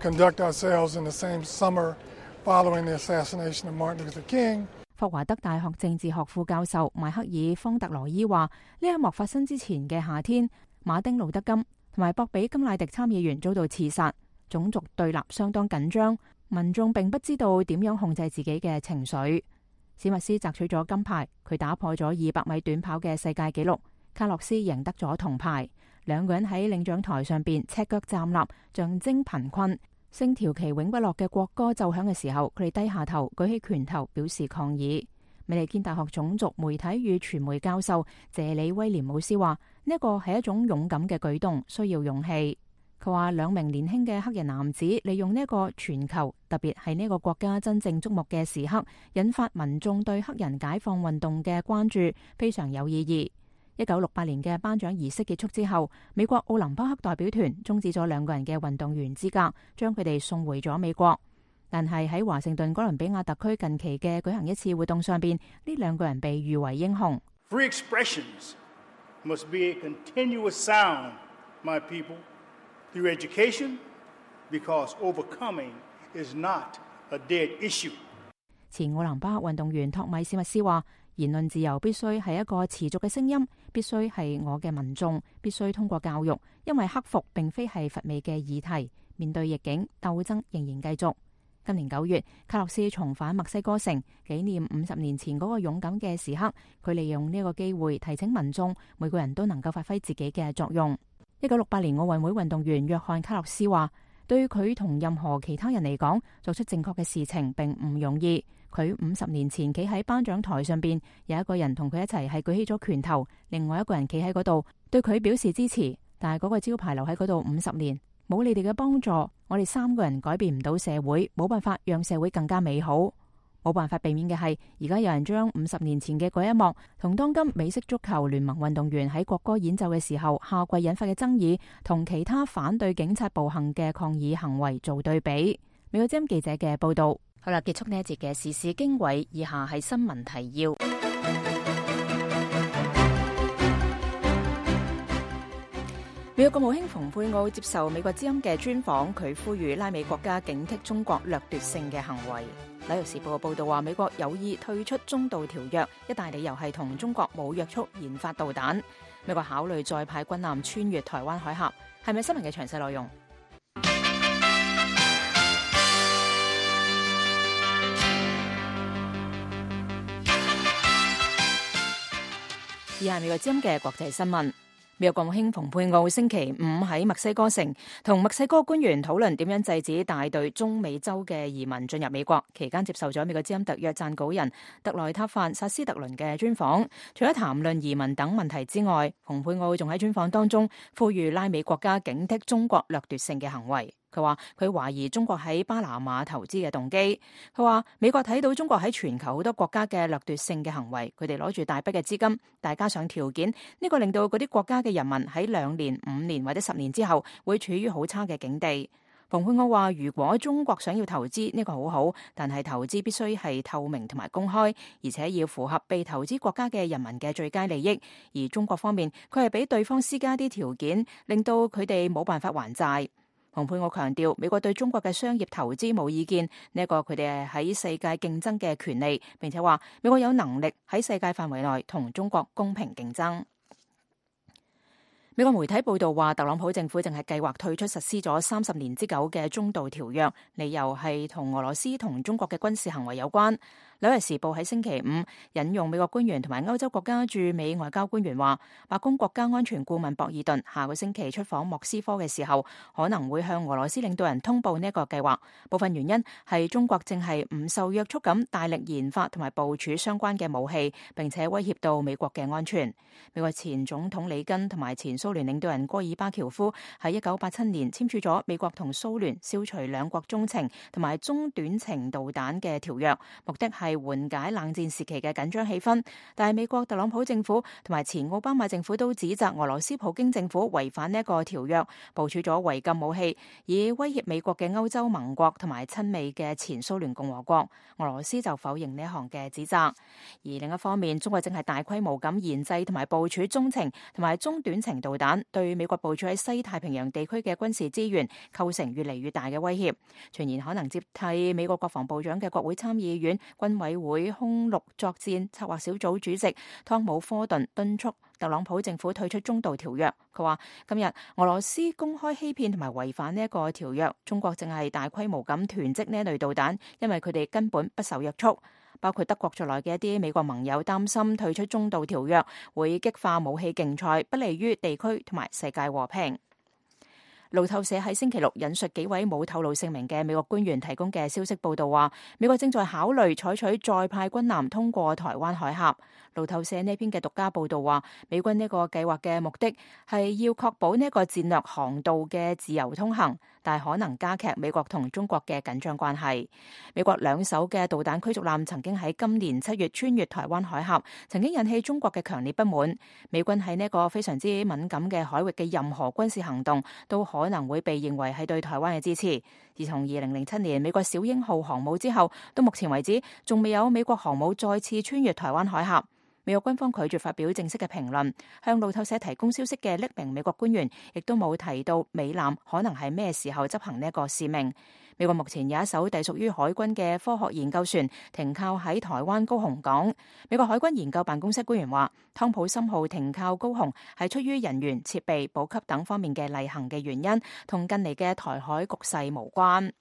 conduct ourselves in the same summer following the assassination of Martin Luther King. 霍華德大學政治學副教授邁克爾方特羅伊話：呢一幕發生之前嘅夏天，馬丁路德金同埋博比金乃迪參議員遭到刺殺，種族對立相當緊張，民眾並不知道點樣控制自己嘅情緒。史密斯摘取咗金牌，佢打破咗二百米短跑嘅世界紀錄。卡洛斯贏得咗銅牌。兩個人喺領獎台上邊赤腳站立，象徵貧困。星條旗永不落嘅國歌奏響嘅時候，佢哋低下頭，舉起拳頭表示抗議。美利堅大學種族媒體與傳媒教授謝里威廉姆斯話：呢一個係一種勇敢嘅舉動，需要勇氣。佢話兩名年輕嘅黑人男子利用呢一個全球，特別係呢個國家真正矚目嘅時刻，引發民眾對黑人解放運動嘅關注，非常有意義。一九六八年嘅頒獎儀式結束之後，美國奧林匹克代表團終止咗兩個人嘅運動員資格，將佢哋送回咗美國。但係喺華盛頓哥倫比亞特區近期嘅舉行一次活動上邊，呢兩個人被譽為英雄。Free expressions must be a continuous sound, my people, through education, because overcoming is not a dead issue. 前奧林匹克運動員托米史密斯話：言論自由必須係一個持續嘅聲音，必須係我嘅民眾，必須通過教育，因為克服並非係乏味嘅議題。面對逆境，鬥爭仍然繼續。今年九月，卡洛斯重返墨西哥城，紀念五十年前嗰個勇敢嘅時刻。佢利用呢個機會提醒民眾，每個人都能夠發揮自己嘅作用。一九六八年奧運會運動員約翰卡洛斯話：對佢同任何其他人嚟講，做出正確嘅事情並唔容易。佢五十年前企喺頒獎台上邊，有一個人同佢一齊係舉起咗拳頭，另外一個人企喺嗰度對佢表示支持，但係嗰個招牌留喺嗰度五十年，冇你哋嘅幫助，我哋三個人改變唔到社會，冇辦法讓社會更加美好。冇辦法避免嘅係，而家有人將五十年前嘅嗰一幕同當今美式足球聯盟運動員喺國歌演奏嘅時候夏季引發嘅爭議，同其他反對警察暴行嘅抗議行為做對比。美國之音記者嘅報道。好啦，結束呢一節嘅時事經緯，以下係新聞提要。美國國務卿蓬佩奧接受美國之音嘅專訪，佢呼籲拉美國家警惕中國掠奪性嘅行為。紐約時報嘅報導話，美國有意退出中導條約，一大理由係同中國冇約束研發導彈。美國考慮再派軍艦穿越台灣海峽，係咪新聞嘅詳細內容？以下係美國之音嘅國際新聞。美國國務卿蓬佩奧星期五喺墨西哥城同墨西哥官員討論點樣制止大隊中美洲嘅移民進入美國，期間接受咗美國之音特約撰稿人特萊塔范薩斯特倫嘅專訪。除咗談論移民等問題之外，蓬佩奧仲喺專訪當中呼籲拉美國家警惕中國掠奪性嘅行為。佢話佢懷疑中國喺巴拿馬投資嘅動機。佢話美國睇到中國喺全球好多國家嘅掠奪性嘅行為，佢哋攞住大筆嘅資金，但加上條件，呢個令到嗰啲國家嘅人民喺兩年、五年或者十年之後會處於好差嘅境地。蓬佩奧話：如果中國想要投資，呢個好好，但係投資必須係透明同埋公開，而且要符合被投資國家嘅人民嘅最佳利益。而中國方面，佢係俾對方施加啲條件，令到佢哋冇辦法還債。蓬佩奧強調，美國對中國嘅商業投資冇意見，呢一個佢哋喺世界競爭嘅權利，並且話美國有能力喺世界範圍內同中國公平競爭。美國媒體報道話，特朗普政府正係計劃退出實施咗三十年之久嘅中導條約，理由係同俄羅斯同中國嘅軍事行為有關。紐約時報喺星期五引用美國官員同埋歐洲國家駐美外交官員話，白宮國家安全顧問博爾頓下個星期出訪莫斯科嘅時候，可能會向俄羅斯領導人通報呢一個計劃。部分原因係中國正係唔受約束咁大力研發同埋部署相關嘅武器，並且威脅到美國嘅安全。美國前總統里根同埋前蘇聯領導人戈爾巴喬夫喺一九八七年簽署咗美國同蘇聯消除兩國中程同埋中短程導彈嘅條約，目的係係緩解冷戰時期嘅緊張氣氛，但係美國特朗普政府同埋前奧巴馬政府都指責俄羅斯普京政府違反呢一個條約，部署咗違禁武器，以威脅美國嘅歐洲盟國同埋親美嘅前蘇聯共和國。俄羅斯就否認呢一項嘅指責。而另一方面，中國正係大規模咁研製同埋部署中程同埋中短程導彈，對美國部署喺西太平洋地區嘅軍事資源構成越嚟越大嘅威脅。傳言可能接替美國國防部長嘅國會參議院軍委會空陸作戰策劃小組主席湯姆科頓敦促特朗普政府退出中導條約。佢話今日俄羅斯公開欺騙同埋違反呢一個條約，中國正係大規模咁囤積呢一類導彈，因為佢哋根本不受約束。包括德國在內嘅一啲美國盟友擔心退出中導條約會激化武器競賽，不利於地區同埋世界和平。路透社喺星期六引述幾位冇透露姓名嘅美國官員提供嘅消息報道話，美國正在考慮採取再派軍艦通過台灣海峽。路透社呢篇嘅獨家報道話，美軍呢個計劃嘅目的係要確保呢個戰略航道嘅自由通行，但係可能加劇美國同中國嘅緊張關係。美國兩艘嘅導彈驅逐艦曾經喺今年七月穿越台灣海峽，曾經引起中國嘅強烈不滿。美軍喺呢個非常之敏感嘅海域嘅任何軍事行動都可能會被認為係對台灣嘅支持。自從二零零七年美國小鷹號航母之後，到目前為止仲未有美國航母再次穿越台灣海峽。美國軍方拒絕發表正式嘅評論，向路透社提供消息嘅匿名美國官員亦都冇提到美艦可能係咩時候執行呢一個使命。美國目前有一艘隸屬於海軍嘅科學研究船停靠喺台灣高雄港。美國海軍研究辦公室官員話，湯普森號停靠高雄係出於人員、設備、補給等方面嘅例行嘅原因，同近嚟嘅台海局勢無關。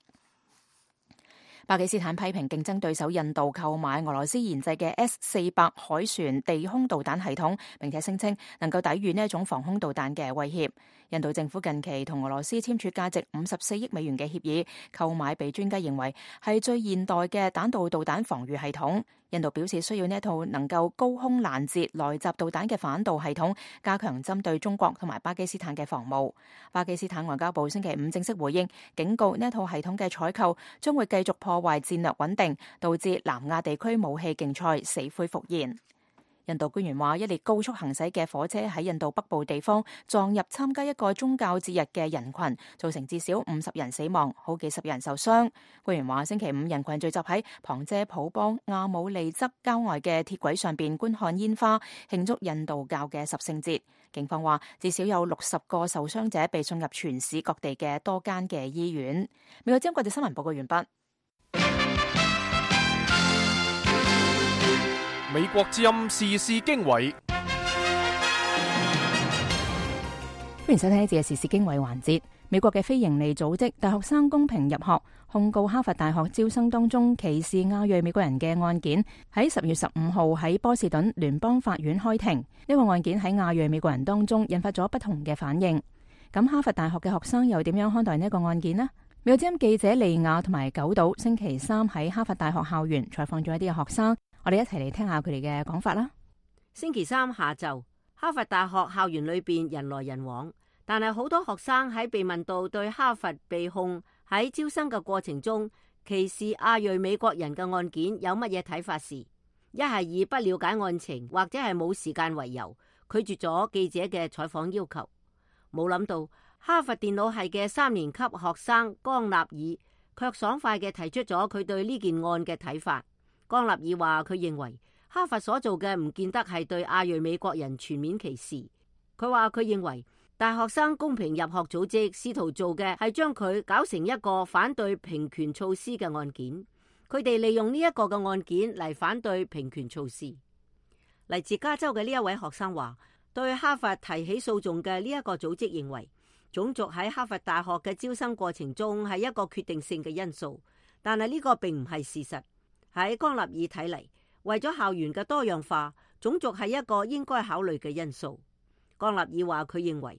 巴基斯坦批評競爭對手印度購買俄羅斯研製嘅 S 四百海船地空導彈系統，並且聲稱能夠抵禦呢一種防空導彈嘅威脅。印度政府近期同俄羅斯簽署價值五十四億美元嘅協議，購買被專家認為係最現代嘅彈道導彈防禦系統。印度表示需要呢一套能夠高空攔截來襲導彈嘅反導系統，加強針對中國同埋巴基斯坦嘅防務。巴基斯坦外交部星期五正式回應，警告呢一套系統嘅採購將會繼續破壞戰略穩定，導致南亞地區武器競賽死灰復燃。印度官員話，一列高速行駛嘅火車喺印度北部地方撞入參加一個宗教節日嘅人群，造成至少五十人死亡，好幾十人受傷。官員話，星期五人群聚集喺旁遮普邦亞姆利則郊外嘅鐵軌上邊觀看煙花，慶祝印度教嘅十聖節。警方話，至少有六十個受傷者被送入全市各地嘅多間嘅醫院。美國之音國際新聞報告完畢。美國之音時事經緯，歡迎收聽呢節嘅時事經緯環節。美國嘅非營利組織大學生公平入學控告哈佛大學招生當中歧視亞裔美國人嘅案件，喺十月十五號喺波士頓聯邦法院開庭。呢個案件喺亞裔美國人當中引發咗不同嘅反應。咁哈佛大學嘅學生又點樣看待呢個案件呢？美國之音記者利亞同埋九島星期三喺哈佛大學校園採訪咗一啲嘅學生。我哋一齊嚟聽下佢哋嘅講法啦。星期三下晝，哈佛大學校園裏邊人來人往，但係好多學生喺被問到對哈佛被控喺招生嘅過程中歧視亞裔美國人嘅案件有乜嘢睇法時，一係以不了解案情或者係冇時間為由拒絕咗記者嘅採訪要求。冇諗到哈佛電腦系嘅三年級學生江納爾卻爽快嘅提出咗佢對呢件案嘅睇法。江納爾話佢認為哈佛所做嘅唔見得係對亞裔美國人全面歧視。佢話佢認為大學生公平入學組織試圖做嘅係將佢搞成一個反對平權措施嘅案件。佢哋利用呢一個嘅案件嚟反對平權措施。嚟自加州嘅呢一位學生話，對哈佛提起訴訟嘅呢一個組織認為種族喺哈佛大學嘅招生過程中係一個決定性嘅因素，但係呢個並唔係事實。喺江納爾睇嚟，為咗校園嘅多樣化，種族係一個應該考慮嘅因素。江納爾話佢認為，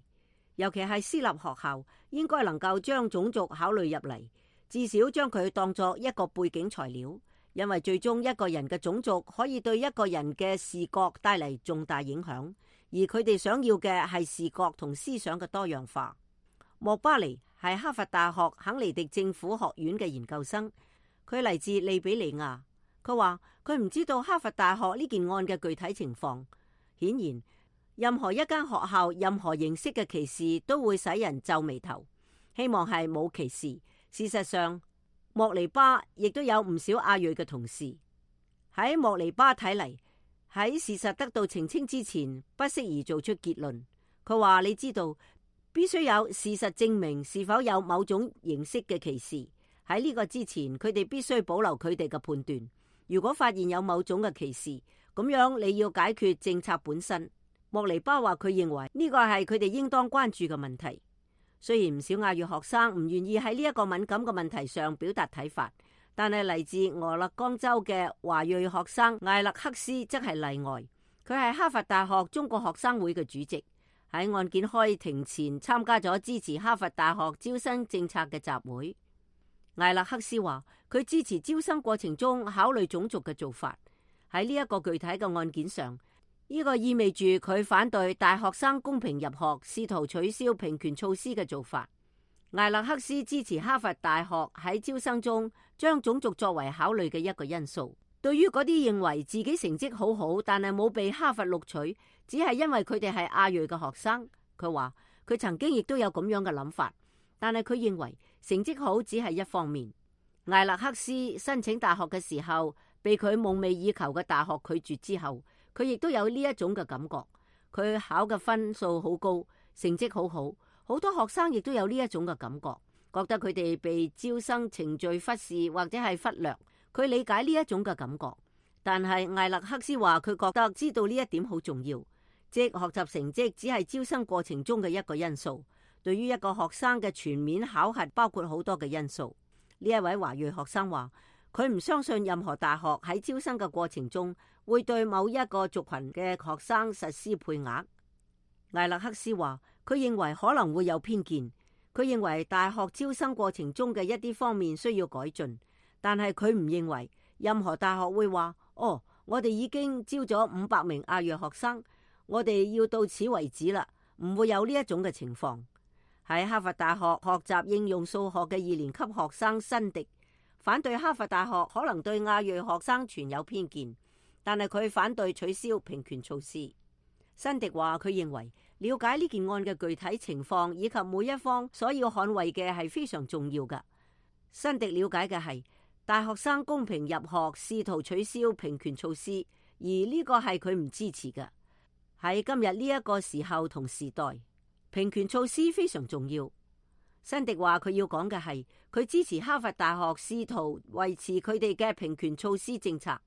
尤其係私立學校，應該能夠將種族考慮入嚟，至少將佢當作一個背景材料，因為最終一個人嘅種族可以對一個人嘅視覺帶嚟重大影響，而佢哋想要嘅係視覺同思想嘅多樣化。莫巴尼係哈佛大學肯尼迪政府學院嘅研究生，佢嚟自利比里亞。佢話佢唔知道哈佛大學呢件案嘅具體情況。顯然，任何一間學校任何形式嘅歧視都會使人皺眉頭。希望係冇歧視。事實上，莫尼巴亦都有唔少亞裔嘅同事。喺莫尼巴睇嚟，喺事實得到澄清之前，不適宜做出結論。佢話你知道，必須有事實證明是否有某種形式嘅歧視。喺呢個之前，佢哋必須保留佢哋嘅判斷。如果發現有某種嘅歧視，咁樣你要解決政策本身。莫尼巴話佢認為呢個係佢哋應當關注嘅問題。雖然唔少亞裔學生唔願意喺呢一個敏感嘅問題上表達睇法，但係嚟自俄勒岡州嘅華裔學生艾勒克斯則係例外。佢係哈佛大學中國學生會嘅主席，喺案件開庭前參加咗支持哈佛大學招生政策嘅集會。艾勒克斯話佢支持招生過程中考慮種族嘅做法。喺呢一個具體嘅案件上，呢個意味住佢反對大學生公平入學，試圖取消平權措施嘅做法。艾勒克斯支持哈佛大學喺招生中將種族作為考慮嘅一個因素。對於嗰啲認為自己成績好好但係冇被哈佛錄取，只係因為佢哋係亞裔嘅學生，佢話佢曾經亦都有咁樣嘅諗法，但係佢認為成績好只係一方面。艾勒克斯申請大學嘅時候，被佢夢寐以求嘅大學拒絕之後，佢亦都有呢一種嘅感覺。佢考嘅分數好高，成績好好，好多學生亦都有呢一種嘅感覺，覺得佢哋被招生程序忽視或者係忽略。佢理解呢一種嘅感覺，但係艾勒克斯話佢覺得知道呢一點好重要，即學習成績只係招生過程中嘅一個因素。對於一個學生嘅全面考核包括好多嘅因素。呢一位華裔學生話佢唔相信任何大學喺招生嘅過程中會對某一個族群嘅學生實施配額。艾勒克斯話佢認為可能會有偏見，佢認為大學招生過程中嘅一啲方面需要改進，但係佢唔認為任何大學會話哦，我哋已經招咗五百名亞裔學生，我哋要到此為止啦，唔會有呢一種嘅情況。喺哈佛大學學習應用數學嘅二年級學生辛迪反對哈佛大學可能對亞裔學生存有偏見，但係佢反對取消平權措施。辛迪話佢認為了解呢件案嘅具體情況以及每一方所要捍衛嘅係非常重要㗎。辛迪了解嘅係大學生公平入學試圖取消平權措施，而呢個係佢唔支持嘅。喺今日呢一個時候同時代，平權措施非常重要。辛迪話佢要講嘅係佢支持哈佛大學試圖維持佢哋嘅平權措施政策，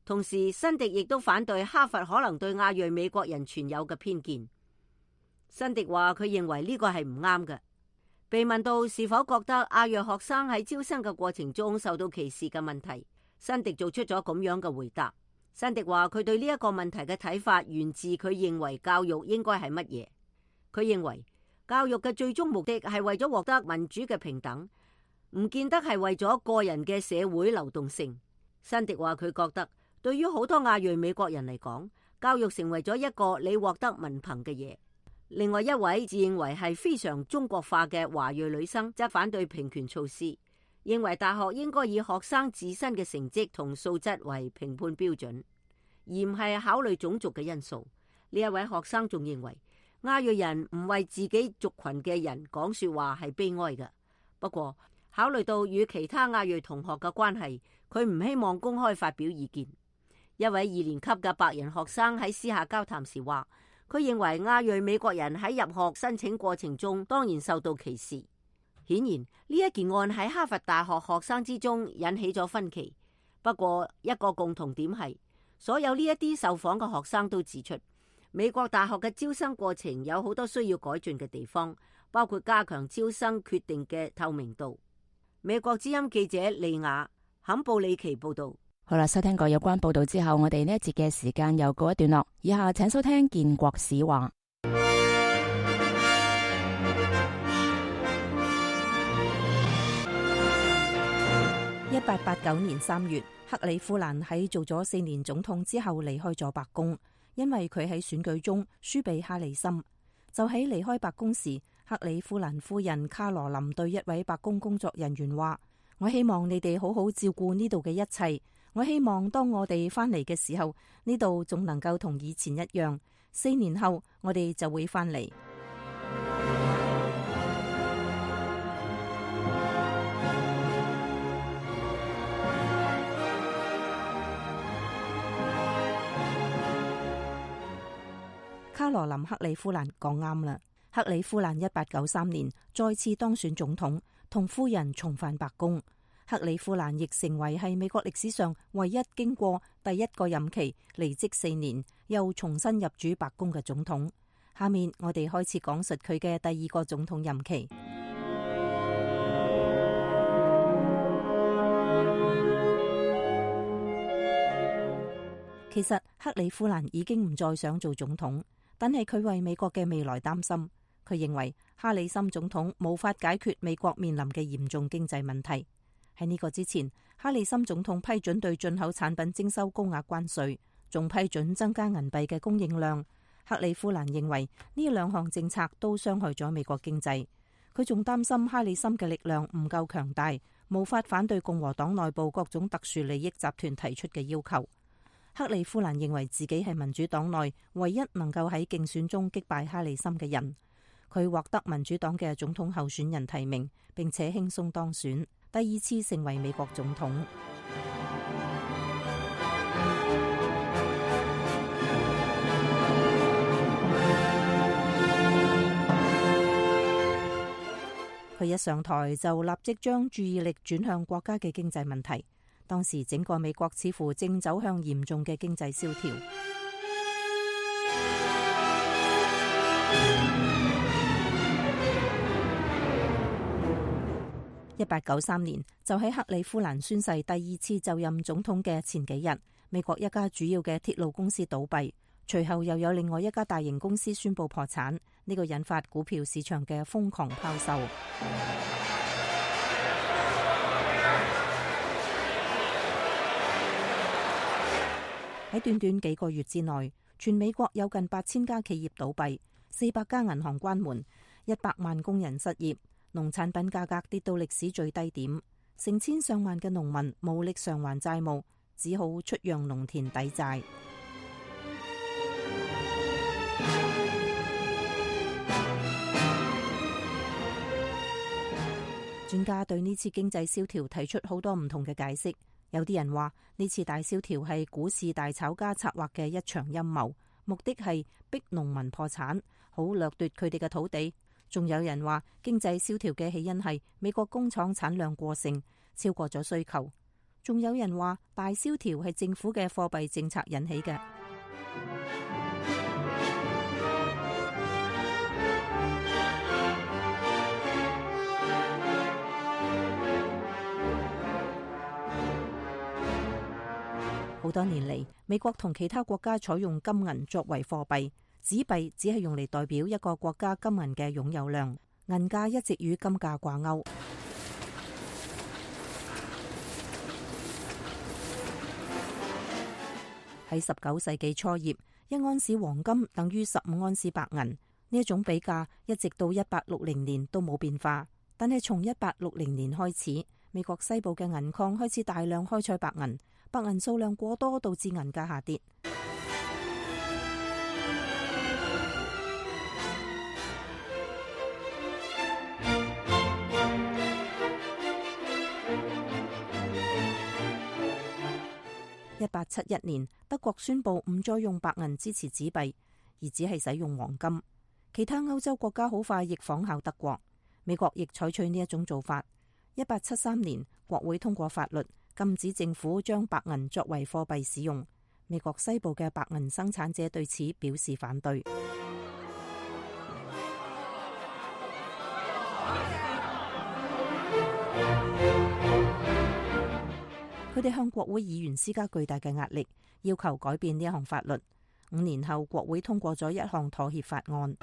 同時辛迪亦都反對哈佛可能對亞裔美國人存有嘅偏見。辛迪話佢認為呢個係唔啱嘅。被問到是否覺得亞裔學生喺招生嘅過程中受到歧視嘅問題，辛迪做出咗咁樣嘅回答。辛迪話佢對呢一個問題嘅睇法源自佢認為教育應該係乜嘢。佢認為教育嘅最終目的係為咗獲得民主嘅平等，唔見得係為咗個人嘅社會流動性。辛迪話佢覺得對於好多亞裔美國人嚟講，教育成為咗一個你獲得文憑嘅嘢。另外一位自認為係非常中國化嘅華裔女生則反對平權措施，認為大學應該以學生自身嘅成績同素質為評判標準，而唔係考慮種族嘅因素。呢一位學生仲認為亞裔人唔為自己族群嘅人講說話係悲哀嘅。不過考慮到與其他亞裔同學嘅關係，佢唔希望公開發表意見。一位二年級嘅白人學生喺私下交談時話，佢認為亞裔美國人喺入學申請過程中當然受到歧視。顯然呢一件案喺哈佛大學學生之中引起咗分歧。不過一個共同點係，所有呢一啲受訪嘅學生都指出，美國大學嘅招生過程有好多需要改進嘅地方，包括加強招生決定嘅透明度。美國之音記者利亞坎布里奇報道。好啦，收聽過有關報道之後，我哋呢一節嘅時間又告一段落。以下請收聽建國史話。一八八九年三月，克里夫蘭喺做咗四年總統之後離開咗白宮，因為佢喺選舉中輸俾哈里森。就喺離開白宮時，克里夫蘭夫人卡羅琳對一位白宮工作人員話：我希望你哋好好照顧呢度嘅一切。我希望當我哋翻嚟嘅時候，呢度仲能夠同以前一樣。四年後，我哋就會翻嚟。卡羅琳克里夫蘭講啱啦。克里夫蘭一八九三年再次當選總統，同夫人重返白宮。克里夫蘭亦成為係美國歷史上唯一經過第一個任期離職四年又重新入主白宮嘅總統。下面我哋開始講述佢嘅第二個總統任期。其實克里夫蘭已經唔再想做總統，但係佢為美國嘅未來擔心。佢認為哈里森總統無法解決美國面臨嘅嚴重經濟問題。喺呢個之前，哈里森總統批准對進口產品徵收高額關稅，仲批准增加銀幣嘅供應量。克里夫蘭認為呢兩項政策都傷害咗美國經濟。佢仲擔心哈里森嘅力量唔夠強大，無法反對共和黨內部各種特殊利益集團提出嘅要求。克里夫蘭認為自己係民主黨內唯一能夠喺競選中擊敗哈里森嘅人。佢獲得民主黨嘅總統候選人提名，並且輕鬆當選，第二次成為美國總統。佢一上台就立即將注意力轉向國家嘅經濟問題。當時整個美國似乎正走向嚴重嘅經濟蕭條。一八九三年，就喺克里夫蘭宣誓第二次就任總統嘅前幾日，美國一家主要嘅鐵路公司倒閉，隨後又有另外一家大型公司宣布破產，呢個引發股票市場嘅瘋狂拋售。喺短短幾個月之內，全美國有近八千家企業倒閉，四百家銀行關門，一百萬工人失業。農產品價格跌到歷史最低點，成千上萬嘅農民無力償還債務，只好出讓農田抵債。專家對呢次經濟蕭條提出好多唔同嘅解釋，有啲人話呢次大蕭條係股市大炒家策劃嘅一場陰謀，目的係逼農民破產，好掠奪佢哋嘅土地。仲有人話經濟蕭條嘅起因係美國工廠產量過剩，超過咗需求。仲有人話大蕭條係政府嘅貨幣政策引起嘅。好多年嚟，美國同其他國家採用金銀作為貨幣，紙幣只係用嚟代表一個國家金銀嘅擁有量，銀價一直與金價掛鈎。喺十九世紀初葉，一盎司黃金等於十五盎司白銀，呢一種比價一直到一八六零年都冇變化。但係從一八六零年開始，美國西部嘅銀礦開始大量開採白銀。白銀數量過多，導致銀價下跌。一八七一年，德國宣布唔再用白銀支持紙幣，而只係使用黃金。其他歐洲國家好快亦仿效德國，美國亦採取呢一種做法。一八七三年，國會通過法律，禁止政府將白銀作為貨幣使用。美國西部嘅白銀生產者對此表示反對。佢哋向國會議員施加巨大嘅壓力，要求改變呢一項法律。五年後，國會通過咗一項妥協法案。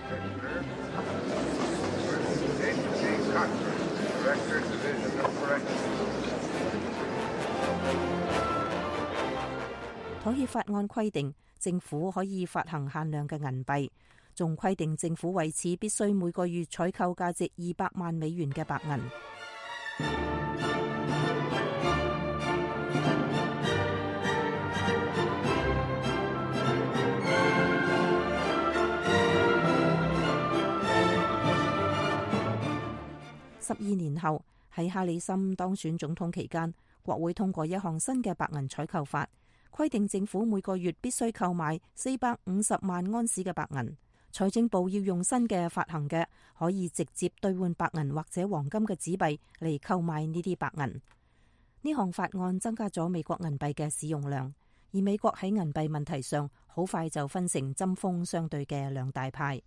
妥協法案規定政府可以發行限量嘅銀幣，仲規定政府為此必須每個月採購價值二百萬美元嘅白銀。十二年後，喺哈里森當選總統期間，國會通過一項新嘅白銀採購法，規定政府每個月必須購買四百五十萬盎司嘅白銀。財政部要用新嘅發行嘅可以直接兌換白銀或者黃金嘅紙幣嚟購買呢啲白銀。呢項法案增加咗美國銀幣嘅使用量，而美國喺銀幣問題上好快就分成針鋒相對嘅兩大派。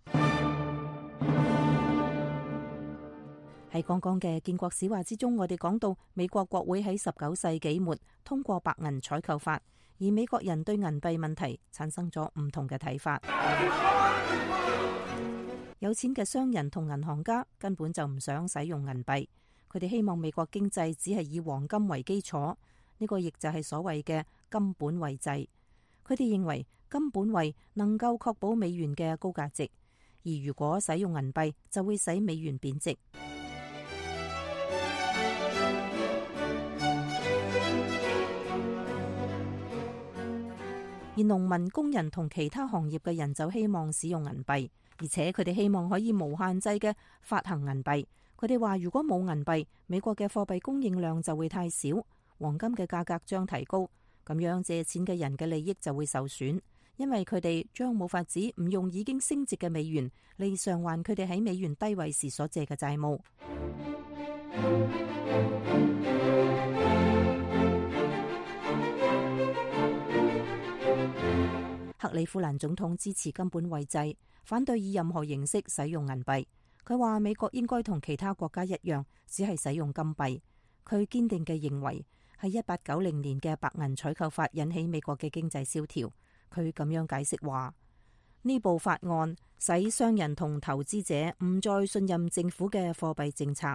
喺剛剛嘅建國史話之中，我哋講到美國國會喺十九世紀末通過白銀採購法，而美國人對銀幣問題產生咗唔同嘅睇法。有錢嘅商人同銀行家根本就唔想使用銀幣，佢哋希望美國經濟只係以黃金為基礎，呢個亦就係所謂嘅金本位制。佢哋認為金本位能夠確保美元嘅高價值，而如果使用銀幣就會使美元貶值。而農民、工人同其他行業嘅人就希望使用銀幣，而且佢哋希望可以無限制嘅發行銀幣。佢哋話如果冇銀幣，美國嘅貨幣供應量就會太少，黃金嘅價格將提高，咁樣借錢嘅人嘅利益就會受損，因為佢哋將冇法子唔用已經升值嘅美元嚟償還佢哋喺美元低位時所借嘅債務。克里夫蘭總統支持金本位制，反對以任何形式使用銀幣。佢話美國應該同其他國家一樣，只係使用金幣。佢堅定嘅認為係一八九零年嘅白銀採購法引起美國嘅經濟蕭條。佢咁樣解釋話，呢部法案使商人同投資者唔再信任政府嘅貨幣政策。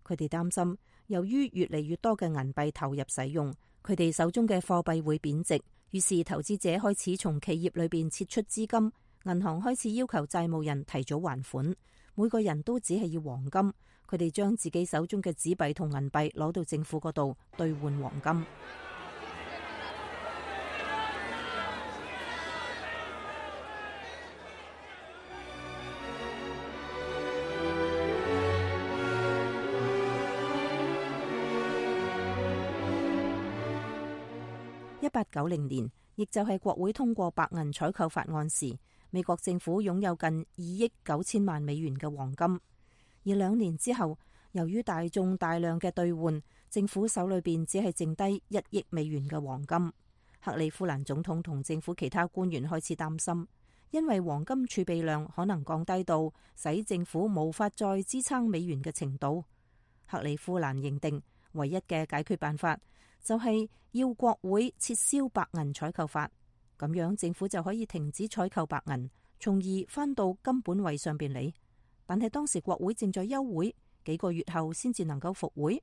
佢哋擔心，由於越嚟越多嘅銀幣投入使用，佢哋手中嘅貨幣會貶值。於是投資者開始從企業裏邊撤出資金，銀行開始要求債務人提早還款，每個人都只係要黃金，佢哋將自己手中嘅紙幣同銀幣攞到政府嗰度兌換黃金。一八九零年，亦就係國會通過白銀採購法案時，美國政府擁有近二億九千萬美元嘅黃金。而兩年之後，由於大眾大量嘅兌換，政府手裏邊只係剩低一億美元嘅黃金。克里夫蘭總統同政府其他官員開始擔心，因為黃金儲備量可能降低到使政府無法再支撐美元嘅程度。克里夫蘭認定唯一嘅解決辦法就係要國會撤銷白銀採購法，咁樣政府就可以停止採購白銀，從而翻到金本位上邊嚟。但係當時國會正在休會，幾個月後先至能夠復會。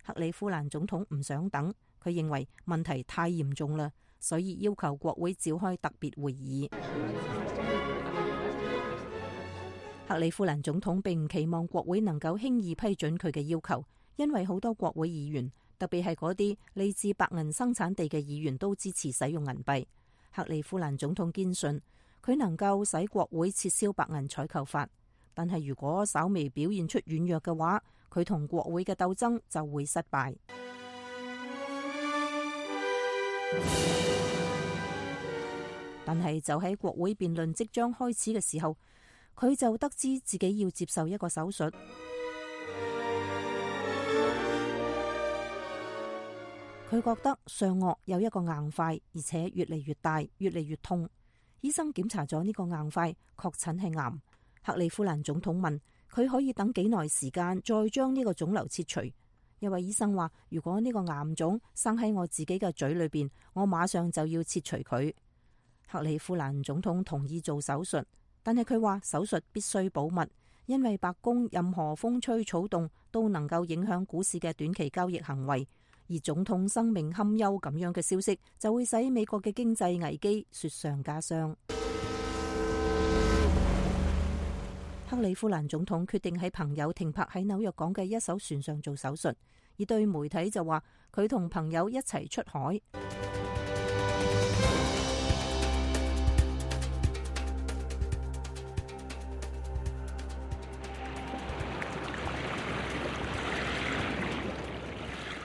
克里夫蘭總統唔想等，佢認為問題太嚴重啦，所以要求國會召開特別會議。克里夫蘭總統並唔期望國會能夠輕易批准佢嘅要求，因為好多國會議員，特別係嗰啲嚟自白銀生產地嘅議員都支持使用銀幣。克里夫蘭總統堅信佢能夠使國會撤銷白銀採購法，但係如果稍微表現出軟弱嘅話，佢同國會嘅鬥爭就會失敗。但係就喺國會辯論即將開始嘅時候，佢就得知自己要接受一個手術。佢覺得上顎有一個硬塊，而且越嚟越大，越嚟越痛。醫生檢查咗呢個硬塊，確診係癌。克里夫蘭總統問佢可以等幾耐時間再將呢個腫瘤切除。一位醫生話，如果呢個癌腫生喺我自己嘅嘴裏邊，我馬上就要切除佢。克里夫蘭總統同意做手術，但係佢話手術必須保密，因為白宮任何風吹草動都能夠影響股市嘅短期交易行為，而總統生命堪憂咁樣嘅消息就會使美國嘅經濟危機雪上加霜。克里夫蘭總統決定喺朋友停泊喺紐約港嘅一艘船上做手術，而對媒體就話佢同朋友一齊出海。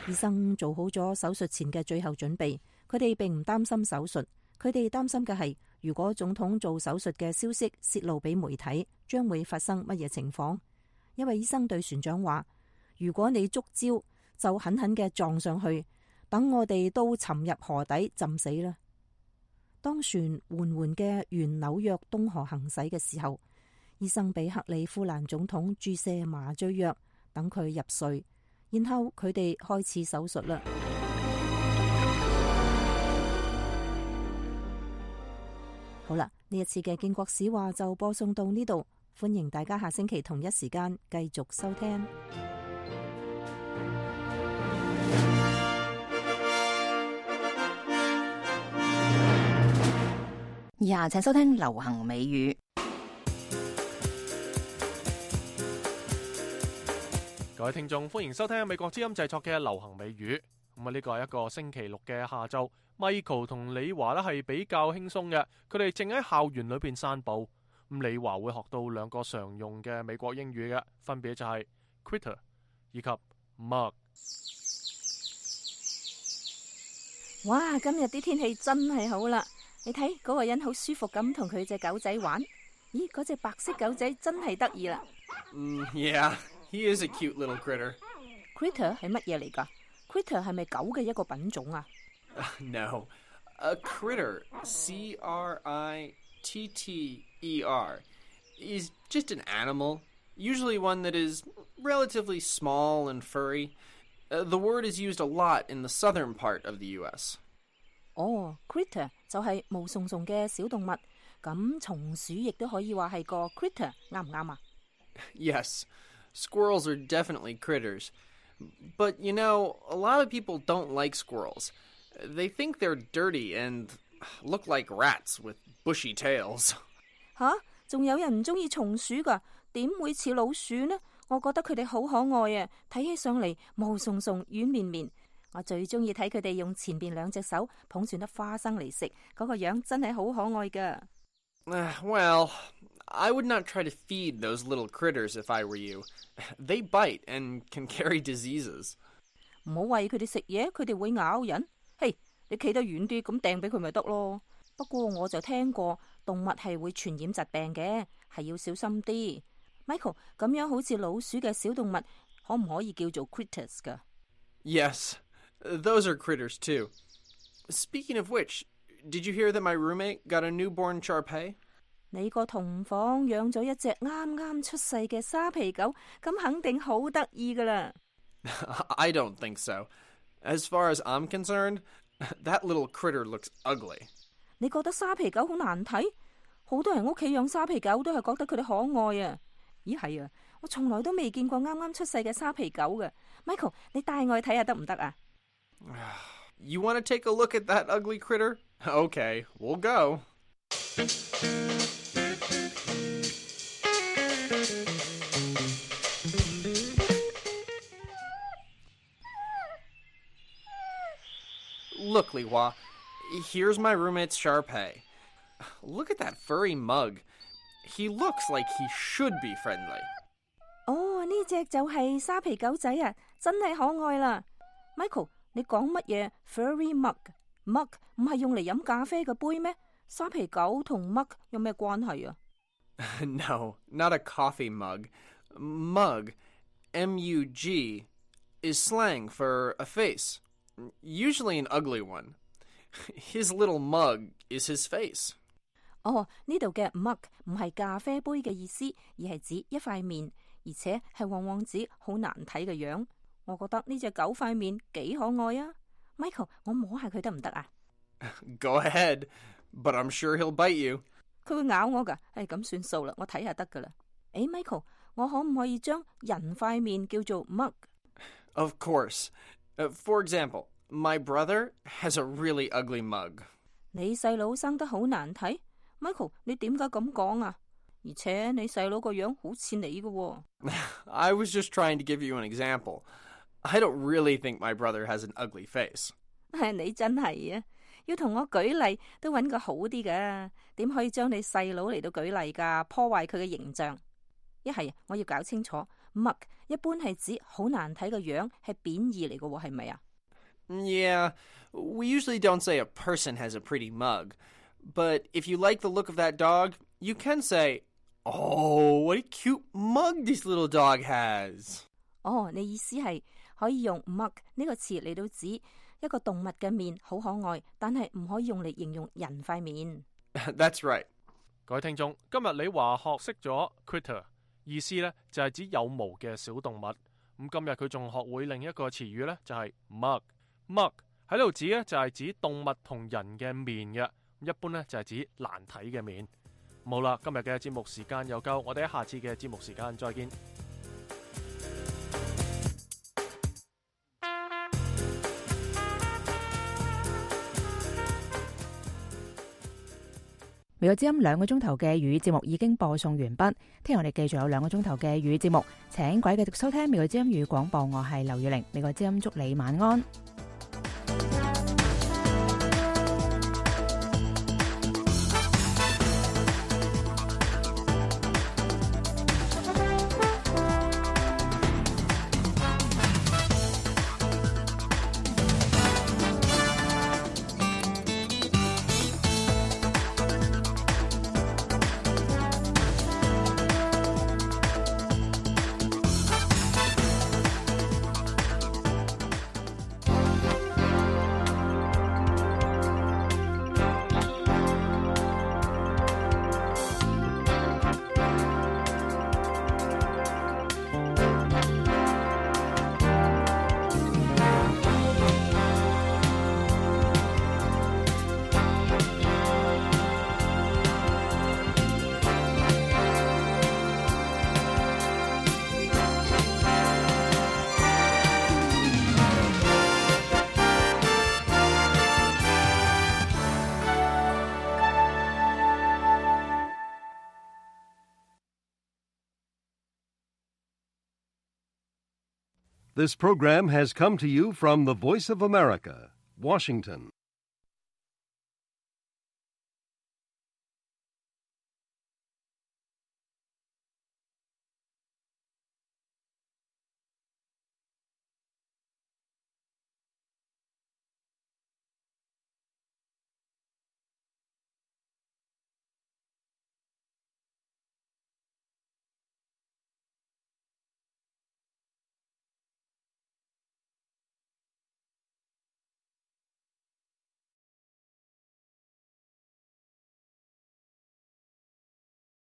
醫生做好咗手術前嘅最後準備，佢哋並唔擔心手術，佢哋擔心嘅係如果總統做手術嘅消息泄露俾媒體，將會發生乜嘢情況。一位醫生對船長話，如果你觸礁，就狠狠嘅撞上去，等我哋都沉入河底浸死啦。當船緩緩嘅沿紐約東河行駛嘅時候，醫生俾克里夫蘭總統注射麻醉藥，等佢入睡。然後佢哋開始手術啦。好啦，呢一次嘅建國史話就播送到呢度，歡迎大家下星期同一時間繼續收聽。以下請收聽流行美語。各位聽眾，歡迎收聽美國之音製作嘅流行美語。咁啊，呢個係一個星期六嘅下晝，Michael 同李華呢係比較輕鬆嘅，佢哋正喺校園裏邊散步。咁李華會學到兩個常用嘅美國英語嘅，分別就係 critter 以及 mug。哇，今日啲天氣真係好啦！你睇嗰個人好舒服咁同佢隻狗仔玩。咦，嗰隻白色狗仔真係得意啦。Mm, yeah. He is a cute little critter. Critter 係乜嘢嚟㗎？ Critter 係咪狗嘅一個品種啊？ No. A critter, C R I T T E R, is just an animal, usually one that is relatively small and furry. Uh, the word is used a lot in the southern part of the U S. 哦、oh, critter 就係毛鬆鬆嘅小動物，咁松鼠亦都可以話係個 critter， 啱唔啱啊？ Yes.Squirrels are definitely critters. But, you know, a lot of people don't like squirrels. They think they're dirty and look like rats with bushy tails. 吓，仲有人唔中意松鼠㗎，點會似老鼠呢？我覺得佢哋好可愛啊，睇起上嚟毛鬆鬆、軟綿綿。我最中意睇佢哋用前邊兩隻手捧住粒花生嚟食，嗰個樣真係好可愛㗎。Uh, well...I would not try to feed those little critters if I were you. They bite and can carry diseases. 唔好餵佢哋食嘢，佢哋會咬人。嘿，你企得遠啲，咁掟俾佢咪得咯。不過我就聽過動物係會傳染疾病嘅，係要小心啲。Michael， 咁樣好似老鼠嘅小動物，可唔可以叫做 critters 㗎？ Yes, those are critters too. Speaking of which, did you hear that my roommate got a newborn Shar-Pei? 你個同房養咗一隻啱啱出世嘅沙皮狗，咁肯定好得意㗎啦。I don't think so. As far as I'm concerned, that little critter looks ugly. 你覺得沙皮狗好難睇？好多人屋企養沙皮狗都係覺得佢哋可愛啊。咦係啊，我從來都未見過啱啱出世嘅沙皮狗嘅。Michael， 你帶我去睇下得唔得啊？ You want to take a look at that ugly critter? Okay, we'll go. Look, Li Hua, here's my roommate's Shar-Pei. Look at that furry mug. He looks like he should be friendly. 哦，呢隻就係沙皮狗仔啊，真係可愛啦。Michael， 你講乜嘢 furry mug？mug 唔係用嚟飲咖啡嘅杯咩？沙皮狗同 mug 有咩關係啊？ No, not a coffee mug. Mug, M U G, is slang for a face. Usually an ugly one. His little mug is his face. 哦，呢度嘅 mug 唔係咖啡杯嘅意思，而係指一塊面，而且係往往指好難睇嘅樣。我覺得呢隻狗塊面幾可愛啊。Michael， 我摸下佢得唔得啊？ Go ahead, but I'm sure he'll bite you. 佢會咬我㗎，係咁算數啦，我睇下得㗎啦。誒 ，Michael， 我可唔可以將人塊面叫做 mug？ Of course. Uh, for example, my brother has a really ugly mug. 你細佬生得好難睇 ，Michael， 你點解咁講啊？而且你細佬個樣好似你㗎喎。I was just trying to give you an example. I don't really think my brother has an ugly face. 係你真係啊！要同我舉例都揾個好啲㗎，點可以將你細佬嚟到舉例㗎？破壞佢嘅形象。一係我要搞清楚 ，mug 一般係指好難睇嘅樣，係貶義嚟嘅喎，係咪啊？ Yeah, we usually don't say a person has a pretty mug. But if you like the look of that dog, you can say, "Oh, what a cute mug this little dog has." 哦，你意思係可以用 mug 呢個詞嚟到指一個動物嘅面好可愛，但係唔可以用嚟形容人塊面。That's right. 各位聽眾，今日你話學識咗 critter， 意思呢就係指有毛嘅小動物。咁今日佢仲學會另一個詞語呢，就係 mug。mug 喺度指呢，就係指動物同人嘅面嘅，一般呢，就係指難睇嘅面。好啦，今日嘅節目時間又夠，我哋喺下次嘅節目時間再見。美國之音兩個鐘頭嘅粵語節目已經播送完畢，聽日我哋繼續有兩個鐘頭嘅粵語節目，請各位繼續收聽美國之音粵語廣播，我係劉月玲，美國之音祝你晚安。This program has come to you from the Voice of America, Washington.